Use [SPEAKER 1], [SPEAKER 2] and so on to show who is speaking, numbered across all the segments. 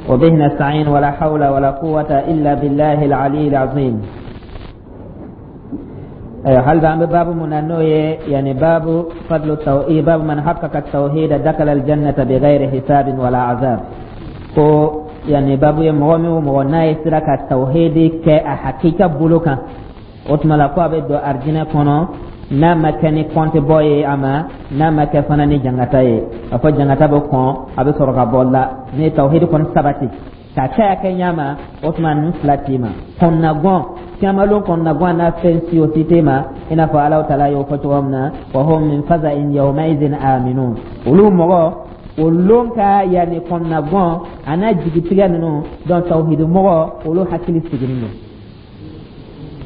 [SPEAKER 1] وبه نستعين، ولا حول ولا قوة إلا بالله العلي العظيم. Hali an bɛ babu mun na, n'o ye yani باب فضل التوحيد، باب من حقق التوحيد دخل الجنة بغير حساب ولا عذاب. Ko yani babu ye mɔgɔ min o mɔgɔ n'a ye sera ka tawhidi kɛ a hakika bolo kan, o tuma la ko a bɛ don arijinɛ kɔnɔ, n'a ma kɛ ni kɔnti bɔ ye a ma, n'a ma kɛ fana ni jangata ye. A fɔ jangata bɛ kɔn, a bɛ sɔrɔ ka bɔ la. Ni ye tawhidi kɔni sabati k'a kɛ a kɛ ɲa ma, o tuma ninnu fila t'i ma kɔnɔnagɔn kiyamalon, kɔnɔnagɔn n'a fɛn si o si t'i ma, i n'a fɔ Alahu taala y'o fɔ cogo min na: وهم من فزع يومئذ آمنون. Olu mɔgɔ o lon ka yanni kɔnɔnagɔn a n'a jigitigɛ ninnu. Donc tawhidi mɔgɔ, olu hakili sigilen don,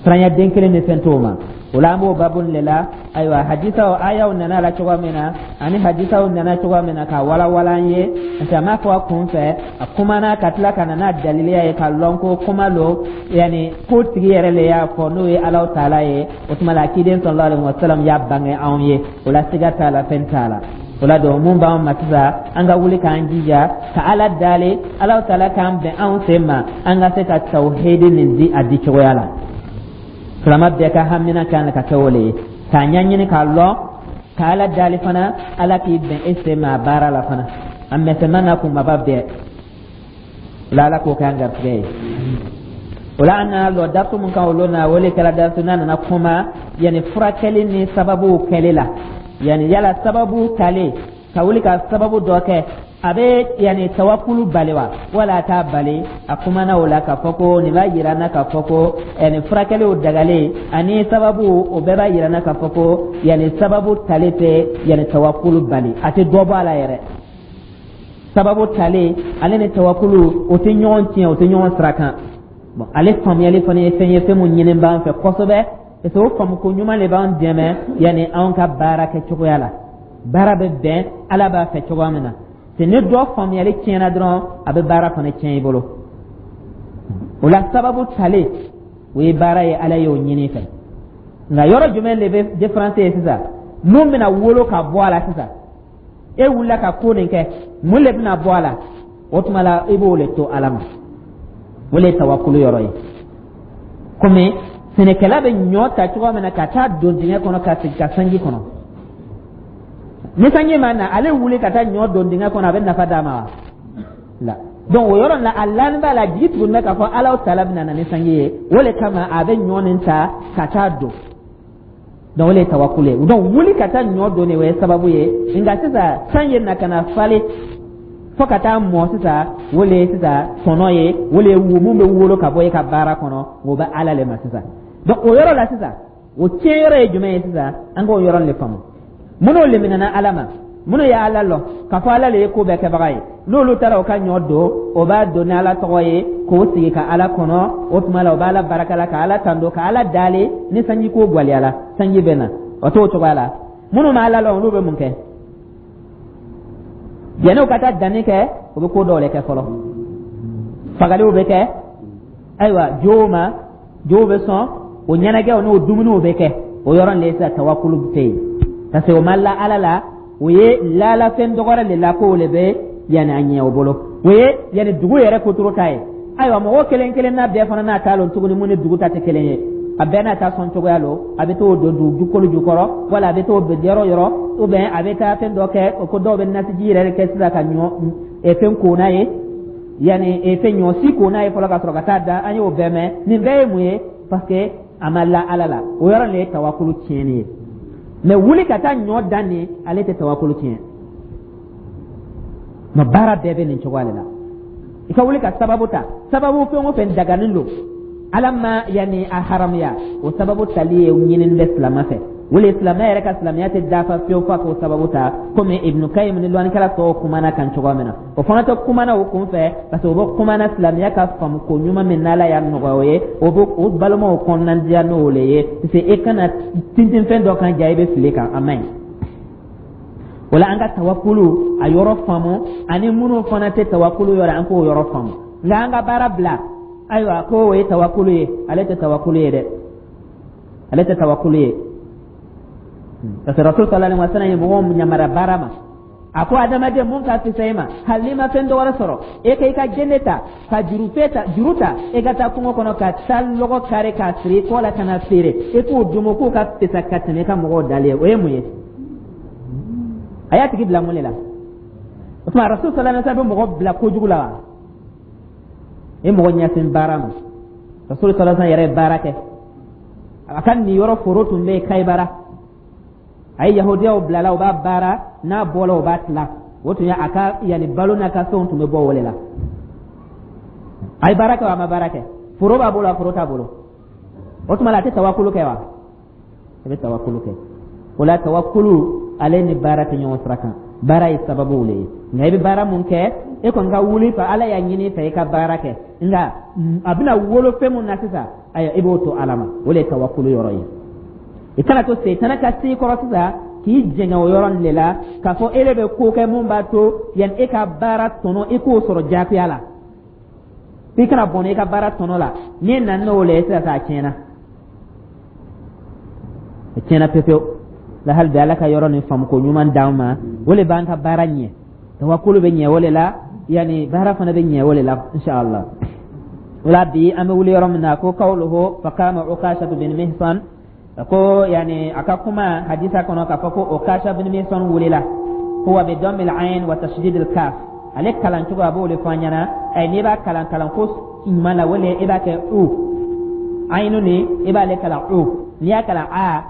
[SPEAKER 1] siranya den kelen ni fɛn t'o ma. O la an b'o babu de la. Ayiwa, hadisaw, ayaw nana la cogo min na, ani hadisaw nana cogo min na ka walawala an ye, parce que a m'a fɔ a kun fɛ, a kumana ka tila ka na n'a daliliya ye, ka lɔn ko kuma lo, yanni ko tigi yɛrɛ le y'a fɔ, n'o ye Alahu taala ye. O tuma la ciden صلى الله عليه وسلم y'a bange anw ye. O la siga t'a la, fɛn t'a la. O la donc mun b'an ma sisan, an ka wuli k'an jija ka Ala dali, Alahu taala k'an bɛn anw sen ma, an ka se ka tawhidi nin di a di cogoya la. Silama bɛɛ ka hamina kan ka kɛ o le ye, k'a ɲɛɲini k'a lɔn, ka Ala dali fana, Ala k'i bɛn e sen ma a baara la fana, a mɛsɛmɛ n'a kunbaba bɛɛ la. Ala k'o kɛ an garijɛgɛ ye. O la an nana lɔ darisu mun kan o lon na, o le kɛra darisu n'a nana kuma yanni furakɛli ni sababuw kɛli la, yanni yala sababu talen ka wuli ka sababu dɔ kɛ, a bɛ yanni tawakulu bali wa, wala a t'a bali? A kumana o la k'a fɔ ko nin b'a yira n na k'a fɔ ko yanni furakɛliw dagalen ani sababu, o bɛɛ b'a yira n na k'a fɔ ko yanni sababu tali tɛ yanni tawakulu bali, a tɛ dɔ bɔ a la yɛrɛ. Sababu talen ale ni tawakulu, o tɛ ɲɔgɔn tiɲɛ, o tɛ ɲɔgɔn sira kan. Bon, ale faamuyali fana ye fɛn ye, fɛn mun ɲini b'an fɛ kosɛbɛ, parce que o faamuko ɲuman de b'an dɛmɛ yanni anw ka baara kɛ cogoya la, baara bɛ bɛn Ala b'a fɛ cogoya min na. C'est ni dɔ faamuyali tiɲɛna dɔrɔn, a bɛ baara fana tiɲɛ i bolo. O la sababu talen, o ye baara ye, Ala y'o ɲini fɛ. Nka yɔrɔ jumɛn de bɛ différence ye sisan? Mun bɛna wolo ka bɔ a la sisan? E wulila ka ko nin kɛ, mun de bɛna bɔ a la? O tuma la i b'o de to Ala ma, o de ye tawakulu yɔrɔ ye. Komi sɛnɛkɛla bɛ ɲɔ ta cogoya min na ka taa don dingɛ kɔnɔ ka sigi ka sanji kɔnɔ, ni sanji ma na, ale wuli ka taa ɲɔ don dingɛ kɔnɔ, a bɛ nafa d'a ma wa? La. Donc o yɔrɔ la, a lani b'a la, jigi tuguni bɛ k'a fɔ Ala taala bɛna na ni sanji ye, o de kama a bɛ ɲɔ nin ta ka taa don. Donc o de ye tawakulu ye. Donc wuli ka taa ɲɔ don de, o ye sababu ye. Nka sisan san ye na ka na falen fo ka taa mɔ sisan, o de ye sisan tɔnɔ ye, o de ye wo mun bɛ wolo ka bɔ e ka baara kɔnɔ, o bɛ Ala le ma sisan. Donc o yɔrɔ la sisan, o tiɲɛ yɔrɔ ye jumɛn ye sisan? An k'o yɔrɔ de faamu. Minnu leminana Ala ma, minnu ye Ala lɔn k'a fɔ Ala le ye ko bɛɛ kɛbaga ye, n'olu taara o ka ɲɔ don, o b'a don ni Ala tɔgɔ ye, k'o sigi ka Ala kɔnɔ. O tuma la o b'Ala barika la, ka Ala tando, ka Ala dale. Ni sanji ko gwaliyala, sanji bɛ na, o t'o cogoya la. Minnu ma Ala lɔn, olu bɛ mun kɛ? Yanni u ka taa danni kɛ, u bɛ ko dɔw de kɛ fɔlɔ. Fagaliw bɛ kɛ, ayiwa, jow ma jow bɛ sɔn, o ɲɛnajɛw n'o dumuniw bɛ kɛ. O yɔrɔ de sisan tawakulu tɛ yen, parce que o ma la Ala la, o ye lalafɛn dɔgɔrɛ de la, k'o de bɛ yanni a ɲɛ o bolo, o ye yanni dugu yɛrɛ kotoro ta ye. Ayiwa, mɔgɔ kelen kelen n'a bɛɛ fana n'a ta lon tuguni, mun ni dugu ta tɛ kelen ye, a bɛɛ n'a ta sɔn cogoya lo. A bɛ t'o don dugukolo jukɔrɔ, wala a bɛ t'o don yɔrɔ yɔrɔ, ou bien a bɛ taa fɛn dɔ kɛ ko dɔw bɛ nasiji yɛrɛ kɛ sisan ka ɲɔ fɛn ko n'a ye, yanni fɛn ɲɔ si ko n'a ye fɔlɔ ka sɔrɔ ka taa da. An y'o bɛɛ mɛn. Nin bɛɛ ye mun ye? Parce que a ma la Ala la. O yɔrɔ de ye tawakulu tiɲɛni ye. Mais wuli ka taa ɲɔ dan nin, ale tɛ tawakulu tiɲɛ. Mais baara bɛɛ bɛ nin cogoya de la. I ka wuli ka sababu ta, sababu fɛn o fɛn daganen don, Ala ma yanni a haramuya, o sababu tali ye ɲinini bɛ silama fɛ. O le silamɛ yɛrɛ ka silamɛya tɛ dafa fiyewu f'a k'o sababu ta, komi Ibnu Kayim ni lɔnnikɛla tɔw kumana kan cogoya min na. O fana tɛ kumana o kun fɛ, parce que o bɛ kumana silamɛya ka faamu ko ɲuman min n'Ala y'a nɔgɔya o ye, o bɛ o balimaw kɔnɔnadiya n'o le ye, parce que e kana tintin fɛn dɔ kan ja i bɛ fili kan, a man ɲi. O la an ka tawakulu a yɔrɔ faamu, ani minnu fana tɛ tawakulu yɔrɔ, an k'o yɔrɔ faamu. Nka an ka baara bila, ayiwa, ko o ye tawakulu ye, ale tɛ tawakulu ye dɛ, ale tɛ tawakulu ye, parce que Rasul صلى الله عليه وسلم ye mɔgɔw yamariya baara ma. A ko adamaden, mun ka fisa i ma, hali n'i ma fɛn dɔ wɛrɛ sɔrɔ, e ka i ka gende ta, ka jurufe ta, juru ta, e ka taa kungo kɔnɔ ka taa lɔgɔ kari k'a siri i kɔ la ka na feere, e k'o dumu, k'o ka fisa ka tɛmɛ i ka mɔgɔw dalen ye. O ye mun ye? A y'a tigi bila mun de la? O tuma, Rasul sallallahu alaihi wasallam bɛ mɔgɔ bila kojugu la wa? E mɔgɔ ɲɛsin baara ma. Rasul sallallahu alaihi wasallam yɛrɛ ye baara kɛ. A ka nin yɔrɔ foro tun bɛ yen Kayibara. A ye yahudiyaw bilala, u b'a baara, n'a bɔla, u b'a tila. O tun ye a ka yanni balo n'a ka fɛnw tun bɛ bɔ o de la. A ye baara kɛ wa, a ma baara kɛ? Foro b'a bolo, a foro t'a bolo. O tuma la, a tɛ tawakulu kɛ wa? A bɛ tawakulu kɛ. O la, tawakulu ale ni baara tɛ ɲɔgɔn sira kan. Baara ye sababu le ye, nka i bɛ baara mun kɛ, e kɔni ka wuli fɛ, Ala y'a ɲini fɛ i ka baara kɛ, nka a bɛna wolo fɛn mun na sisan, ayiwa, i b'o to Ala ma. O de ye tawakulu yɔrɔ ye. I kana to setana ka s'i kɔrɔ sisan k'i jɛngɛ o yɔrɔ nin de la, k'a fɔ e de bɛ ko kɛ mun b'a to yan e ka baara tɔnɔ, i k'o sɔrɔ jagoya la. I kana bɔnɛ i ka baara tɔnɔ la. N'i nana n'o le ye sisan, a tiɲɛna, a tiɲɛna pepewu la. Hali bi, Ala ka yɔrɔ nin faamuko ɲuman d'an ma. O le b'an ka baara ɲɛ. Tawakulu bɛ ɲɛ o le la, yanni baara fana bɛ ɲɛ o le la, inshallah. O la, bi an bɛ wuli yɔrɔ min na, ko qawluhu faqama Ukashatu bin Mihsan, ko yani a ka kuma hadisa kɔnɔ k'a fɔ ko Ukasha bin Mihsan wulila. Huwa bi dammi al-ayn wa tashdid al-kaf. Ale kalan cogo, a b'o de fɔ an ɲɛna. Ɛ, n'i b'a kalan kalan ko ɲuman la, wala i b'a kɛ u ayinu ni, i b'ale kalan u. N'i y'a kalan a,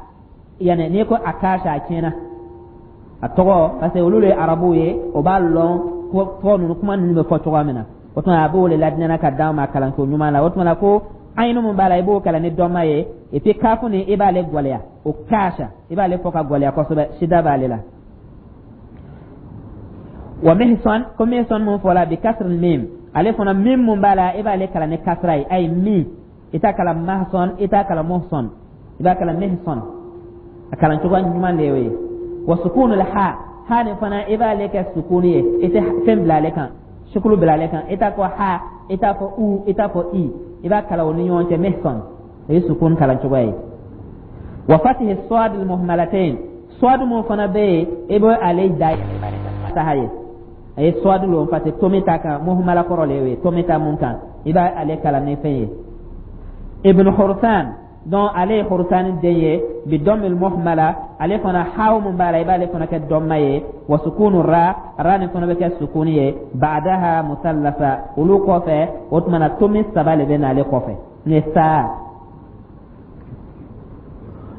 [SPEAKER 1] yani n'i ko Akasha, a tiɲɛna a tɔgɔ, parce que olu de ye Arabuw ye, o b'a lɔn ko tɔgɔ ninnu, kuma ninnu bɛ fɔ cogoya min na. O tuma, a b'o de ladinɛna ka d'an ma kalanko ɲuman la. O tuma la, ko ayinu mun b'a la, i b'o kalan ni dɔnma ye, et puis kafu ni, i b'ale gwɛlɛya. O kasha, i b'ale fɔ ka gwɛlɛya kosɛbɛ, sida b'ale la. Wa Mihsan, ko Mihsan mun fɔla, bi kasr mim, ale fana mim mun b'a la, i b'ale kalan ni kasra ye. Ayi, mi i t'a kalan Mahson, i t'a kalan Muhson, i b'a kalan Mihsan. A kalan cogo ɲuman de y'o ye. Wa sukunu ha, ha nin fana, i b'ale kɛ sukuni ye, i tɛ fɛn bila ale kan, sukulu bila ale kan. I t'a fɔ ha, i t'a fɔ u, i t'a fɔ i, i b'a kalan o ni ɲɔgɔn cɛ, Mihsan. O ye sukun kalan cogo ye. Wa fatihi sad al muhmalatayn, sad mun fana bɛ yen, i bɛ ale da fataha ye. A ye sad lon, parce que tomi ta kan, muhmala kɔrɔ le ye, tomi ta mun kan, i b'a ale kalan ni fɛn ye. Ibn Hursan, donc ale ye Hursan den ye. Bi dammil muhmala, ale fana haw mun b'a la, i b'ale fana kɛ dɔmma ye. Wa sukunu ra, ra nin fana bɛ kɛ sukuni ye. Ba'daha musallasa, olu kɔfɛ, o tuma na, tomi saba le bɛ n'ale kɔfɛ, ni saa.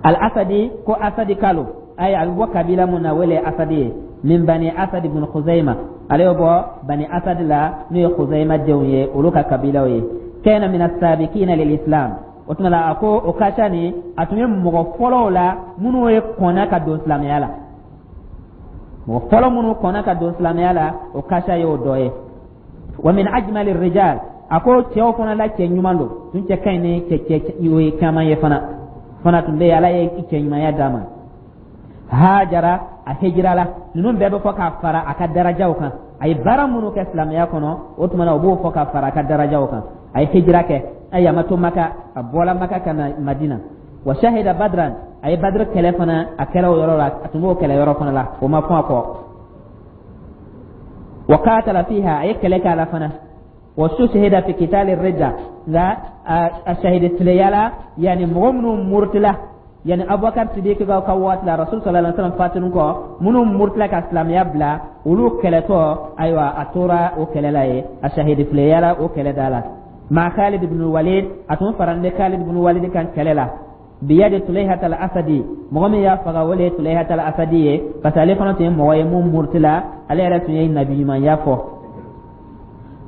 [SPEAKER 1] Al asadi, ko Asadi kalo, ay a bɛ bɔ kabila mun na, wele Asadi ye. Min Bani Asad ibn Khuzaima, ale bɛ bɔ Bani Asad la, n'o ye Khuzaima denw ye, olu ka kabilaw ye. Kana min as-sabiqina lil Islam. O tuma la, a ko o kasha ni, a tun ye mɔgɔ fɔlɔw la minnu ye kɔnna ka don silamɛya la. Mɔgɔ fɔlɔ minnu kɔnna ka don silamɛya la, o kasha y'o dɔ ye. Wa min ajmali rijal, a ko cɛw fana la, cɛ ɲuman don tun, cɛ ka ɲi ni cɛ cɛ ye caman ye fana. Fana tun bɛ yen, Ala ye cɛ ɲumanya d'a ma. Hajara, a hijira la. Ninnu bɛɛ bɛ fɔ k'a fara a ka darajaw kan. A ye baara minnu kɛ silamɛya kɔnɔ, o tuma na, o b'o fɔ ka fara a ka darajaw kan. A ye hijira kɛ, ayi, a ma to Maka, a bɔla Maka ka na Madina. Wa shahida Badran, a ye Badr kɛlɛ fana, a kɛra o yɔrɔ la, a tun b'o kɛlɛ yɔrɔ fana la, o ma fɔ a kɔ. Wa qatala fiha, a ye kɛlɛ kɛ a la fana. Wa stushhida fi qitali ridda, nka a shahidi tileyala, yani mɔgɔ minnu murutila, yani Abubakar Sidiki ka waati la, Rasul sallallahu alaihi wasallam fatunu kɔ, minnu murutila ka silamɛya bila, olu kɛlɛtɔ, ayiwa, a tora o kɛlɛ la ye, a shahidi fileyala o kɛlɛ da la. Ma Khalid ibn Walid, a tun faralen Khalid ibn Walid kan kɛlɛ la. Biyadi Tulaihat al Asadi, mɔgɔ min y'a faga, o le ye Tulaihat al Asadi ye, parce que ale fana tun ye mɔgɔ ye mun murutila, ale yɛrɛ tun ye nabi ɲumanya fɔ.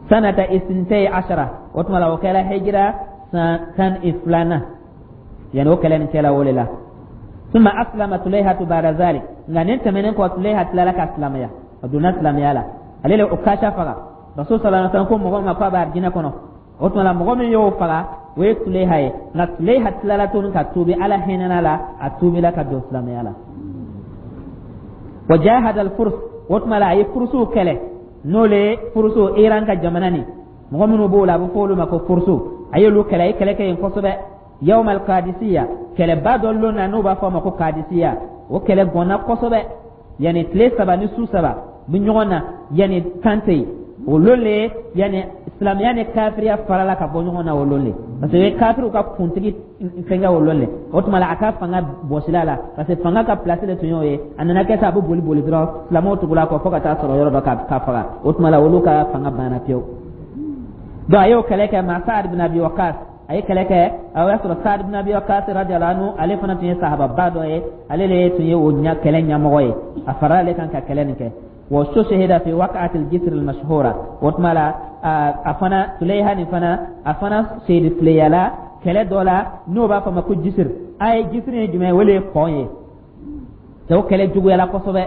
[SPEAKER 1] Sanata isintay ashara, o tuma la, o kɛra hijira san 12nan, yani o kɛlɛ nin kɛla o le la. Summa aslama Tulaihatu ba'da zalik, nka nin tɛmɛnen kɔ, Tulaiha tilala ka silamɛya, a donna silamɛya la. Ale le o kasha faga. Rasul sallallahu alaihi wasallam ko mɔgɔ ma k'a bɛ arijinɛ kɔnɔ. O tuma la, mɔgɔ min y'o faga, o ye Tuleha ye. Nka Tuleha tilala tuguni ka tuubi, Ala hinɛna la, a tuubila ka don silamɛya la. Wa jahada al-furs, o tuma la, a ye furusuw kɛlɛ, n'o le ye furusu, Iran ka jamana ni mɔgɔ minnu b'o la, a bɛ fɔ olu ma ko furusu. A y'olu kɛlɛ, a ye kɛlɛ kɛ yen kosɛbɛ. Yawm al-Qadisiyya, kɛlɛba dɔ lon na, n'o b'a fɔ a ma ko Qadisiyya, o kɛlɛ gɔnna kosɛbɛ, yanni tile 3 ni su 3. Bɛ ɲɔgɔn na, yanni kan tɛ yen. O lon le, yanni silamɛya ni kafiriya farala ka bɔ ɲɔgɔn na, o lon le, parce que kafiriw ka kuntigi fɛnkɛ o lon le. O tuma la, a ka fanga bɔsila la, parce que fanga ka place de tun y'o ye. A nana kɛ sa, a bɛ boli boli dɔrɔn, silamɛw tugula kɔ fo ka taa sɔrɔ yɔrɔ dɔ ka faga. O tuma la, olu ka fanga banna pewu. Donc a y'o kɛlɛ kɛ ma Saad bin Abi Waqas. A ye kɛlɛ kɛ, a y'a sɔrɔ Saad bin Abi Waqas radiyallahu anhu, ale fana tun ye sahababa dɔ ye, ale de tun ye o kɛlɛ ɲɛmɔgɔ ye. A farala ale kan ka kɛlɛ nin kɛ. Wa stushhida fi waqa'ati al-jisr al-mashhura. O tuma la, a fana, Tuleyha nin fana, a fana seyidi fileyala kɛlɛ dɔ la n'o b'a fɔ ma ko Jisir. A ye Jisir ye jumɛn ye? O de ye pont ye. O kɛlɛ juguyala kosɛbɛ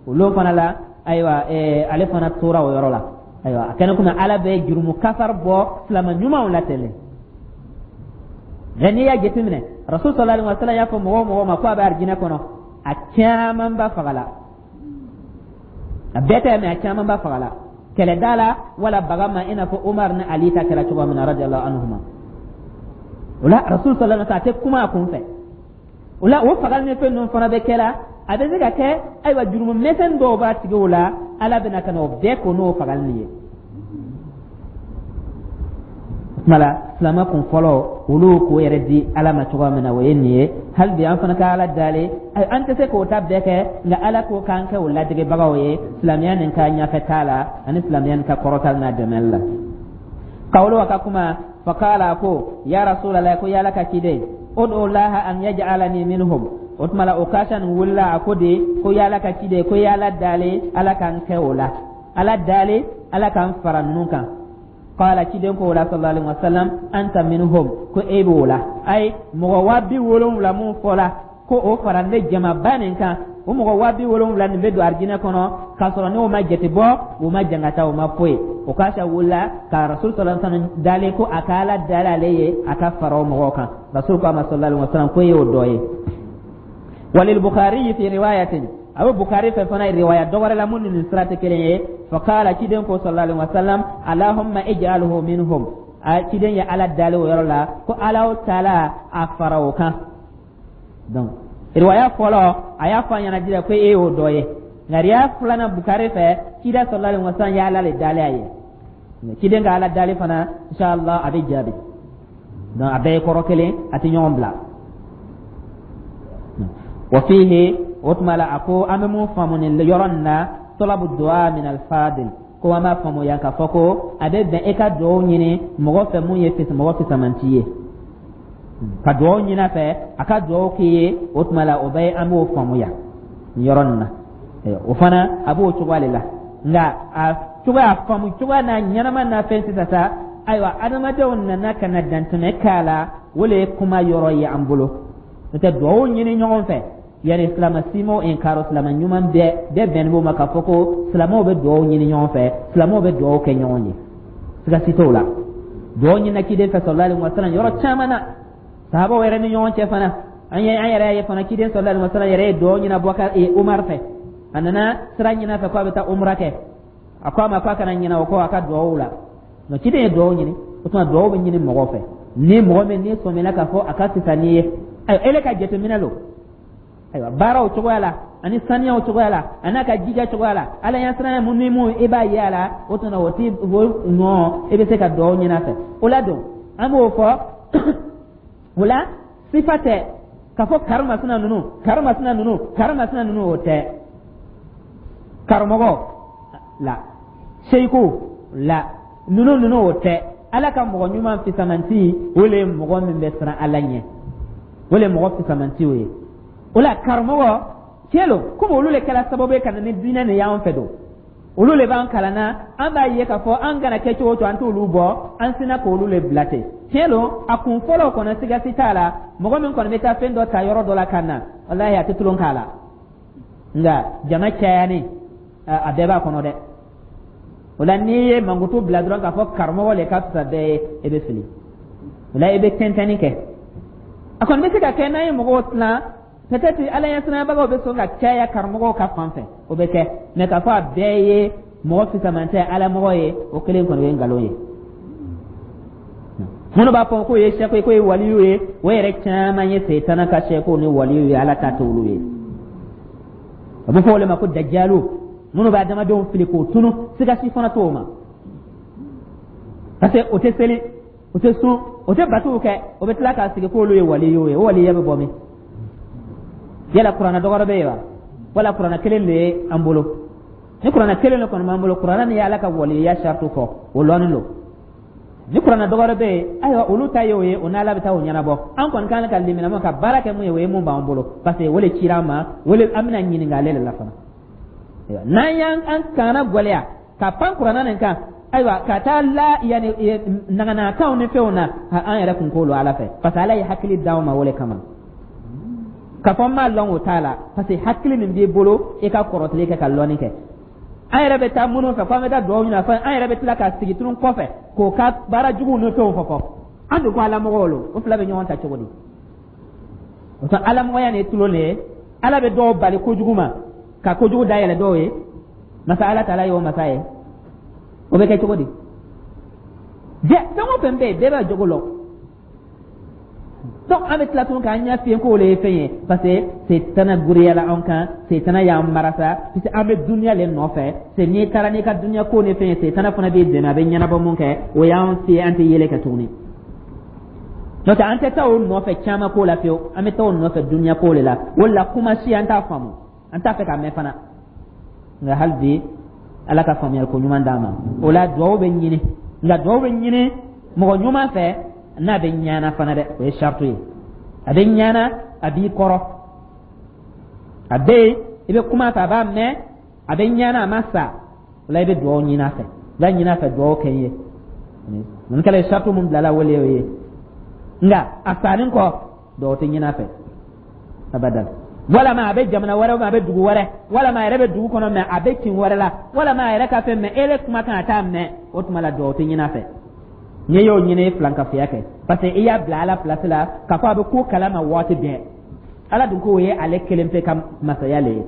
[SPEAKER 1] o lon fana la. Ayiwa, ale fana tora o yɔrɔ la. Ayiwa, a kɛnɛ komi Ala bɛ jurumu kafari bɔ silama ɲumanw la ten. Nka n'i y'a jateminɛ, Rasul sallallahu alaihi wa sallam y'a fɔ mɔgɔ o mɔgɔ ma ko a bɛ arijinɛ kɔnɔ, a caman ba fagala. A bɛɛ tɛ, mɛ a caman ba fagala kɛlɛda la wala baga ma, i n'a fɔ Umar ni Ali ta kɛra cogoya min na, radiyallahu anhuma. O la, Rasul sallallahu alaihi wa sallam a tɛ kuma a kun fɛ. O la, o fagali ni fɛn ninnu fana bɛ kɛla, a bɛ se ka kɛ, ayiwa, jurumu misɛn dɔw b'a tigiw la, Ala bɛna ka na o bɛɛ ko n'o fagali nin ye. O tuma la, silamɛ kun fɔlɔ, olu k'o yɛrɛ di Ala ma cogoya min na, o ye nin ye. Hali bi an fana ka Ala dali, an tɛ se k'o ta bɛɛ kɛ, nka Ala ko k'an kɛ o ladegebagaw ye silamɛya nin ka ɲɛfɛ taa la ani silamɛya nin ka kɔrɔta n'a dɛmɛli la. Kawlo a ka kuma, faqala, ko ya Rasulallah, ko y'Ala ka ciden, udu laha an yaj'alani minhum. O tuma la, Okasha nin wulila, a ko de ko y'Ala ka ciden, ko y'Ala dali, Ala k'an kɛ o la, Ala dali, Ala k'an fara ninnu kan. Qala, ciden ko o la, sallallahu alaihi wasallam, anta minhum, ko e b'o la. Ayi, mɔgɔ 70,000 mun fɔla ko o fara ne jamaba nin kan, o mɔgɔ 70,000 nin bɛ don arijinɛ kɔnɔ k'a sɔrɔ n'o ma jate bɔ, o ma jangata, o ma foyi. Okasha wulila ka Rasul sallallahu alaihi wasallam dalen ko a ka Ala dali ale ye, a ka fara o mɔgɔw kan. Rasul ko a ma, sallallahu alaihi wasallam, ko e y'o dɔ ye. Walil Bukhari fi riwayatin, a bɛ Bukhari fɛ fana riwaya dɔ wɛrɛ la mun ni nin sira tɛ kelen ye. Faqala, ciden ko, sallallahu alaihi wasallam, allahumma ij'alhu minhum. A ciden ye Ala dali o yɔrɔ la ko Ala o taala a fara o kan. Donc riwaya fɔlɔ, a y'a fɔ a ɲɛna jira ko e y'o dɔ ye, nka riwaya filanan Bukari fɛ, ciden sallallahu alaihi wasallam ye Ala le dali a ye. Ciden ka Ala dali fana, inshallah, a bɛ jaabi. Donc a bɛɛ ye kɔrɔ kelen, a tɛ ɲɔgɔn bila. Wa fihi, o tuma la, a ko an bɛ mun faamu nin yɔrɔ nin na? Talabu du'a min al-fadil, ko an b'a faamu yan k'a fɔ ko a bɛ bɛn e ka duwawu ɲini mɔgɔ fɛ mun ye mɔgɔ fisamanci ye, ka duwawu ɲini a fɛ, a ka duwawu k'i ye. O tuma la, o bɛ an b'o faamu yan nin yɔrɔ nin na. O fana a b'o cogoya de la, nka a cogoya faamu cogoya n'a ɲɛnama n'a fɛn sisan sa, ayiwa, adamadenw nana ka na dantɛmɛ k'a la, o le ye kuma yɔrɔ ye an bolo. N'o tɛ, duwawu ɲini ɲɔgɔn fɛ, yani silama simaw inkaro, silama ɲuman bɛɛ bɛɛ bɛnnen b'o ma k'a fɔ ko silamɛw bɛ duwawu ɲini ɲɔgɔn fɛ, silamɛw bɛ duwawu kɛ ɲɔgɔn ye, siga si t'o la. Duwawu ɲinina ciden fɛ sallallahu alaihi wasallam yɔrɔ caman na, sahabaw yɛrɛ ni ɲɔgɔn cɛ fana. An ye an yɛrɛ ye fana, ciden sallallahu alaihi wasallam yɛrɛ ye duwawu ɲini Abubakar, Umar fɛ. A nana sira ɲini a fɛ ko a bɛ taa umra kɛ, a ko a ma ko a kana ɲinɛ o kɔ a ka duwawu la. Nka ciden ye duwawu ɲini. O tuma duwawu bɛ ɲini mɔgɔ fɛ ni mɔgɔ min n'i sɔmina k'a fɔ a ka fisa n'i ye. Ayiwa, ele ka jateminɛ lo, ayiwa, baaraw cogoya la ani saniyaw cogoya la a n'a ka jija cogoya la, Ala ɲɛsiranya mun ni mun i b'a ye a la, o tuma o ti o nɔ, i bɛ se ka duwawu ɲini a fɛ. O la don, an b'o fɔ o la, sifa tɛ k'a fɔ karimasina ninnu, karimasina ninnu, karimasina ninnu, o tɛ. Karamɔgɔ la, seyiku la, ninnu ninnu, o tɛ. Ala ka mɔgɔ ɲuman fisamanti, o le ye mɔgɔ min bɛ siran Ala ɲɛ, o le ye mɔgɔ fisamanti o ye. O la, karamɔgɔ tiɲɛ lo, komi olu le kɛra sababu ye ka na ni diinɛ nin y'an fɛ don, olu le b'an kalan na, an b'a ye k'a fɔ an kana kɛ cogo o cogo, an t'olu bɔ, an sinna k'olu le bila ten. Tiɲɛ lo, a kun fɔlɔ kɔnɔ, siga si t'a la, mɔgɔ min kɔni bɛ taa fɛn dɔ ta yɔrɔ dɔ la ka na, walahi, a tɛ tulon k'a la. Nka jama cayani, a bɛɛ b'a kɔnɔ dɛ. O la, n'i ye mankutu bila dɔrɔn k'a fɔ karamɔgɔ le ka fisa bɛɛ ye, e bɛ fili. O la, i bɛ tɛntɛnni kɛ. A kɔni bɛ se ka kɛ n'an ye mɔgɔw tilan, peut-être Ala ɲɛsiranyabagaw bɛ sɔn ka caya karamɔgɔw ka fan fɛ, o bɛ kɛ. Mais k'a fɔ a bɛɛ ye mɔgɔ fisamantɛ Ala mɔgɔ ye, o kelen kɔni ye nkalon ye. Minnu b'a fɔ k'o ye sɛko ye, k'o ye waliyu ye, o yɛrɛ caman ye Seyitana ka sɛkow ni waliyu ye, Ala ta t'olu ye. A bɛ fɔ o de ma ko dajalu. Minnu bɛ adamadenw fili k'o tunu, siga si fana t'o ma, parce que o tɛ seli, o tɛ sun, o tɛ batow kɛ, o bɛ tila k'a sigi k'olu ye waliyu ye. O waliya bɛ bɔ min? Yala kuranɛ dɔwɛrɛ bɛ yen wa, wala kuranɛ kelen de ye an bolo? Ni kuranɛ kelen de kɔni b'an bolo, kuranɛ nin ye Ala ka waliya saratu fɔ, o lɔnnen don. Ni kuranɛ dɔwɛrɛ bɛ yen, ayiwa, olu ta ye o ye, o n'Ala bɛ taa o ɲɛnabɔ. An kɔni kan ka limaniya ka baara kɛ mun ye, o ye mun b'an bolo, parce que o de cira an ma, o de an bɛna ɲininka ale de la fana. N'an y'an an kana gwɛlɛya ka pan kuranɛ nin kan, ayiwa, ka taa la yanni naganakanw ni fɛnw na, an yɛrɛ kun k'olu Ala fɛ, parce que Ala ye hakili d'anw ma o de kama. K'a fɔ n m'a lɔn, o t'a la, parce que hakili min b'i bolo, i ka kɔrɔtili kɛ ka lɔnni kɛ. An yɛrɛ bɛ taa minnu fɛ k'an bɛ taa dugawu ɲini a fɛ, an yɛrɛ bɛ tila ka sigi tunu kɔfɛ k'o ka baara juguw ni fɛnw fɔ fɔ an dun ko alamɔgɔw lo. O fila bɛ ɲɔgɔn ta cogo di? O tuma, alamɔgɔya nin ye tulon de ye. Ala bɛ dɔw bali kojugu ma ka kojugu dayɛlɛ dɔw ye. Masa Ala taala ye o masa ye, o bɛ kɛ cogo di? Jɛ, fɛn o fɛn bɛ yen, bɛɛ b'a jogo lɔn. Donc an bɛ tila tuguni k'an ɲɛ fiyen k'o le ye fɛn ye, parce que setana goriyala an kan, setana y'an marasa, parce que an bɛ duniya le nɔfɛ. C'est n'i taara n'i ka duniya ko ni fɛn ye, setana fana b'i dɛmɛ, a bɛ ɲɛnabɔ mun kɛ, o y'an fiyɛ, an tɛ yɛlɛ kɛ tuguni. N'o tɛ, an tɛ taa o nɔfɛ caman ko la fiyewu, an bɛ taa o nɔfɛ duniya ko de la. O de la, kuma si an t'a faamu, an t'a fɛ k'a mɛn fana. Nka hali bi, Ala ka faamuyali ko ɲuman d'an ma. O la, duwawu bɛ ɲini, nka duwawu bɛ ɲini mɔgɔ ɲuman fɛ n'a bɛ ɲana fana dɛ, o ye saratu ye. A bɛ ɲana, a b'i kɔrɔ, a bɛ yen, i bɛ kuma a fɛ, a b'a mɛn, a bɛ ɲana, a ma sa. O la, i bɛ duwawu ɲini a fɛ, i b'a ɲini a fɛ duwawu kɛ n ye. Nin kɛla ye saratu mun bilala, wele o ye. Nka a salen kɔ, duwawu tɛ ɲini a fɛ abadan. Walama a bɛ jamana wɛrɛ, a bɛ dugu wɛrɛ, walama a yɛrɛ bɛ dugu kɔnɔ mɛ a bɛ kin wɛrɛ la, walama a yɛrɛ ka fɛn mɛ e le kumakan a t'a mɛn, o tuma la duwawu tɛ ɲini a fɛ. N'i y'o ɲini, filankafoya kɛ, parce que i y'a bila Ala place la k'a fɔ a bɛ ko kalama waati bɛɛ. Ala dun k'o ye ale kelen pe ka masaya le ye.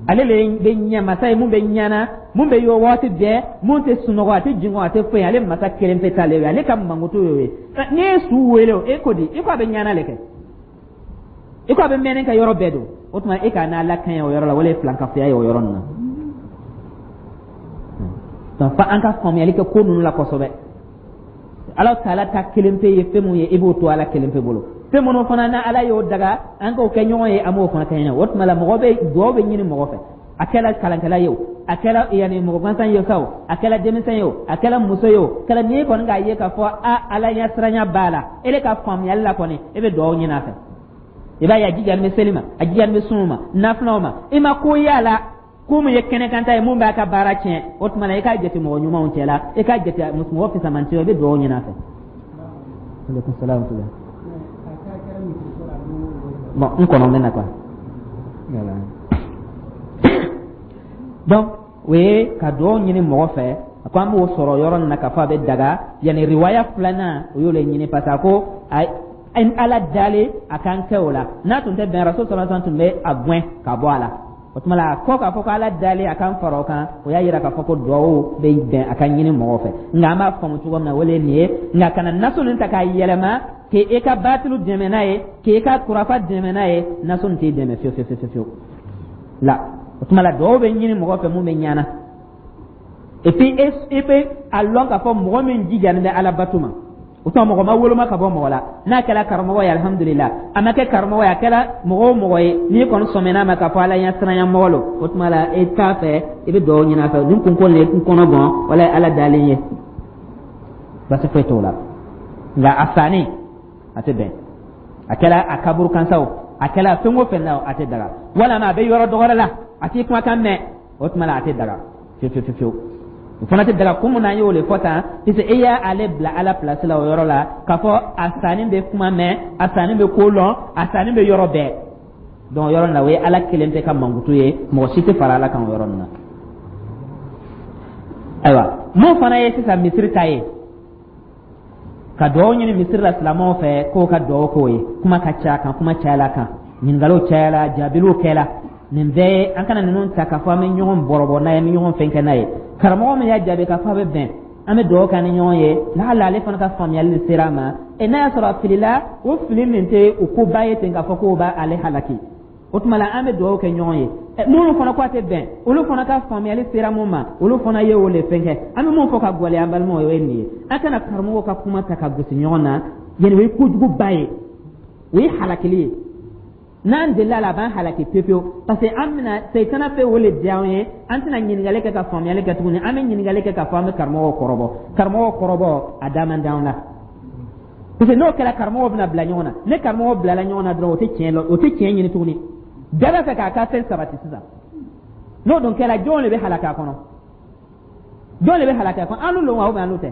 [SPEAKER 1] Ale le bɛ ɲɛ masa ye, mun bɛ ɲana, mun bɛ yɔ waati bɛɛ, mun tɛ sunɔgɔ, a tɛ jingɔ, a tɛ foyi. Ale masa kelen pe t'ale ye, ale ka mankutu y'o ye. N'i ye su wele o, e ko di? I ko a bɛ ɲana le kɛ, i ko a bɛ mɛnni kɛ yɔrɔ bɛɛ don. O tuma, e k'a n'Ala kaɲɛ o yɔrɔ la, wala ye filankafoya ye o yɔrɔ nin na. Donc fa an ka faamuyali kɛ ko ninnu la kosɛbɛ. Ala taala ta kelen pe ye fɛn mun ye, i b'o to Ala kelen pe bolo. Fɛn minnu fana na Ala y'o daga an k'o kɛ ɲɔgɔn ye, an b'o fana kɛ ɲɔgɔn ye. O tuma la, mɔgɔ bɛ dugawu bɛ ɲini mɔgɔ fɛ, a kɛra kalankɛla ye o, a kɛra yanni mɔgɔ gansan ye sa o, a kɛra denmisɛn ye o, a kɛra muso ye o, kɛra n'i kɔni k'a ye k'a fɔ a Ala ɲɛsiranya b'a la, e ka faamuyali la kɔni, e bɛ dugawu ɲini a fɛ. I b'a ye a jijalen bɛ seli ma, a jijalen bɛ sun ma, nafilaw ma, i ma ko y'a la ko mun ye kɛnɛkanta ye, mun b'a ka baara tiɲɛ. O tuma na, i k'a jate mɔgɔ ɲumanw cɛ la, i k'a jate mɔgɔ fisamanci, i bɛ dugawu ɲini a fɛ. Aleykum salaam. Bon, n kɔnɔ bɛ na quoi. Donc o ye ka dugawu ɲini mɔgɔ fɛ. A ko an b'o sɔrɔ yɔrɔ nin na k'a fɔ a bɛ daga. Yanni riwaya filanan, o y'o le ɲini, parce que a ko Ala dalen a kan kɛ o la, n'a tun tɛ bɛn, Rasul sallallahu alaihi wasallam tun bɛ a gɛn ka bɔ a la. O tuma la, a kɔ k'a fɔ ko Ala dalen a kan fara o kan, o y'a yira k'a fɔ ko duwawu bɛ bɛn a ka ɲini mɔgɔ fɛ. Nka an b'a faamu cogo min na, o le ye nin ye. Nka kana naso nin ta k'a yɛlɛma k'e ka batilu dɛmɛ n'a ye, k'e ka kurafa dɛmɛ n'a ye. Naso nin t'i dɛmɛ fiyewu fiyewu fiyewu la. O tuma la, duwawu bɛ ɲini mɔgɔ fɛ mun bɛ ɲana, et puis e bɛ a lɔn k'a fɔ mɔgɔ min jijalen bɛ Ala bato ma. O tuma, mɔgɔ ma woloma ka bɔ mɔgɔ la. N'a kɛra karamɔgɔ ye, alihamudulila. A ma kɛ karamɔgɔ ye, a kɛra mɔgɔ o mɔgɔ ye, n'i kɔni sɔmina ma k'a fɔ Ala ɲɛ siranya mɔgɔ lo, o tuma la e t'a fɛ, i bɛ dugawu ɲini a fɛ nin kunko nin ye n kɔnɔ gan, wala Ala dalen ye, basi foyi t'o la. Nka a sanni a tɛ bɛn, a kɛra a kaburu kan sa o, a kɛra fɛn o fɛn na, a tɛ daga. Walama a bɛ yɔrɔ dɔgɔrɛ la, a t'i kumakan mɛn, o tuma la a tɛ daga fiyewu fiyewu fiyewu. O fana tɛ daga. Kun mun na an y'o de fɔ tan? Puisque e y'ale bila Ala place la o yɔrɔ la, k'a fɔ a sanni bɛ kuma mɛn, a sanni bɛ ko lɔn, a sanni bɛ yɔrɔ bɛɛ. Donc yɔrɔ nin na, o ye Ala kelen tɛ ka mankutu ye, mɔgɔ si tɛ fara Ala kan o yɔrɔ nin na. Ayiwa, mun fana ye sisan misiri ta ye, ka dugawu ɲini misiri la silamɛw fɛ k'o ka dugawu k'o ye, kuma ka ca kan, kuma cayala kan, ɲininkaliw cayala, jaabiliw kɛla. Nin bɛɛ ye an kana ninnu ta k'a fɔ an bɛ ɲɔgɔn bɔrɔbɔ n'a ye, an bɛ ɲɔgɔn fɛn kɛ n'a ye. Karamɔgɔ min y'a jaabi k'a fɔ a bɛ bɛn an bɛ dugawu kɛ ni ɲɔgɔn ye, lahala ale fana ka faamuyali sera a ma. Ɛ, n'a y'a sɔrɔ a filila, o fili min tɛ o koba ye ten k'a fɔ k'o b'ale halaki. O tuma la, an bɛ dugawu kɛ ɲɔgɔn ye. Minnu fana ko a tɛ bɛn, olu fana ka faamuyali sera mun ma, olu fana ye o le fɛn kɛ. An bɛ mun fɔ ka gwɛlɛya an balimaw ye, o ye nin ye: an kana karamɔgɔw ka kuma ta ka gosi ɲɔgɔn na. Yanni, o ye kojuguba ye, o ye halakili ye. N'an delila la, a b'an halaki pewu pewu, parce que an bɛna seyitana fɛ o le diya an ye. An tɛna ɲininkali kɛ ka faamuyali kɛ tuguni. An bɛ ɲininkali kɛ k'a fɔ an bɛ karamɔgɔw kɔrɔbɔ. Karamɔgɔw kɔrɔbɔ, a da man d'anw la, parce que n'o kɛra, karamɔgɔw bɛna bila ɲɔgɔn na. Ni karamɔgɔw bilala ɲɔgɔn na dɔrɔn, o tɛ tiɲɛ lɔ, o tɛ tiɲɛ ɲini tuguni. Bɛɛ b'a fɛ k'a ka fɛn sabati sisan. N'o dun kɛra, jɔn de bɛ halaki a kɔnɔ? Jɔn de bɛ halaki a kɔnɔ? An n'u wa, ou bien an n'u tɛ?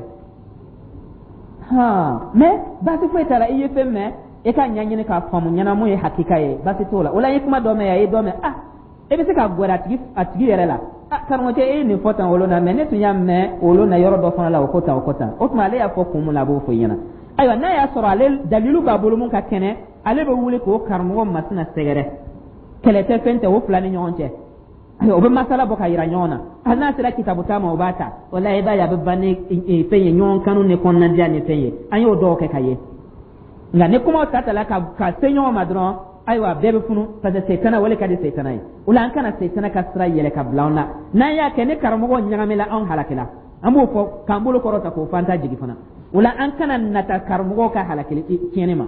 [SPEAKER 1] Han, mais baasi foyi t'a la. I ye fɛn mɛn, i ka ɲɛɲini k'a faamu ɲɛna mun ye hakika ye, baasi t'o la. O la, i ye kuma dɔ mɛn yan, i ye dɔ mɛn, ah, i bɛ se ka gɛrɛ a tigi yɛrɛ la: ah, karamɔgɔcɛ, e ye nin fɔ tan olu na, mais ne tun y'a mɛn olu na yɔrɔ dɔ fana la, o ko tan, o ko tan. O tuma, ale y'a fɔ kun mun na, a b'o fɔ i ɲɛna. Ayiwa, n'a y'a sɔrɔ ale dalilu b'a bolo mun ka kɛnɛ, ale bɛ wuli k'o karamɔgɔ masina sɛgɛrɛ. Kɛlɛ tɛ, fɛn tɛ o fila ni ɲɔgɔn cɛ. Ayiwa, o bɛ masala bɔ ka yira ɲɔgɔn na. Hali n'a sera kitabu ta ma, o b'a ta. O la, i b'a ye, a bɛ ban ni fɛn ye, ɲɔgɔn kanu ni kɔnɔnadiya ni fɛn ye. An y'o dɔw kɛ ka ye. Nka ni kumaw ta ta la ka se ɲɔgɔn ma dɔrɔn, ayiwa, bɛɛ bɛ funu, parce que seyitana wale ka di seyitana ye. O la, an kana seyitana ka sira yɛlɛ ka bila an na. N'an y'a kɛ, ni karamɔgɔ ɲagamina, anw halakila. An b'o fɔ k'an bolo kɔrɔta k'o fɔ, an t'a jigi fana. O la, an kana nata karamɔgɔw ka halakili tiɲɛni ma.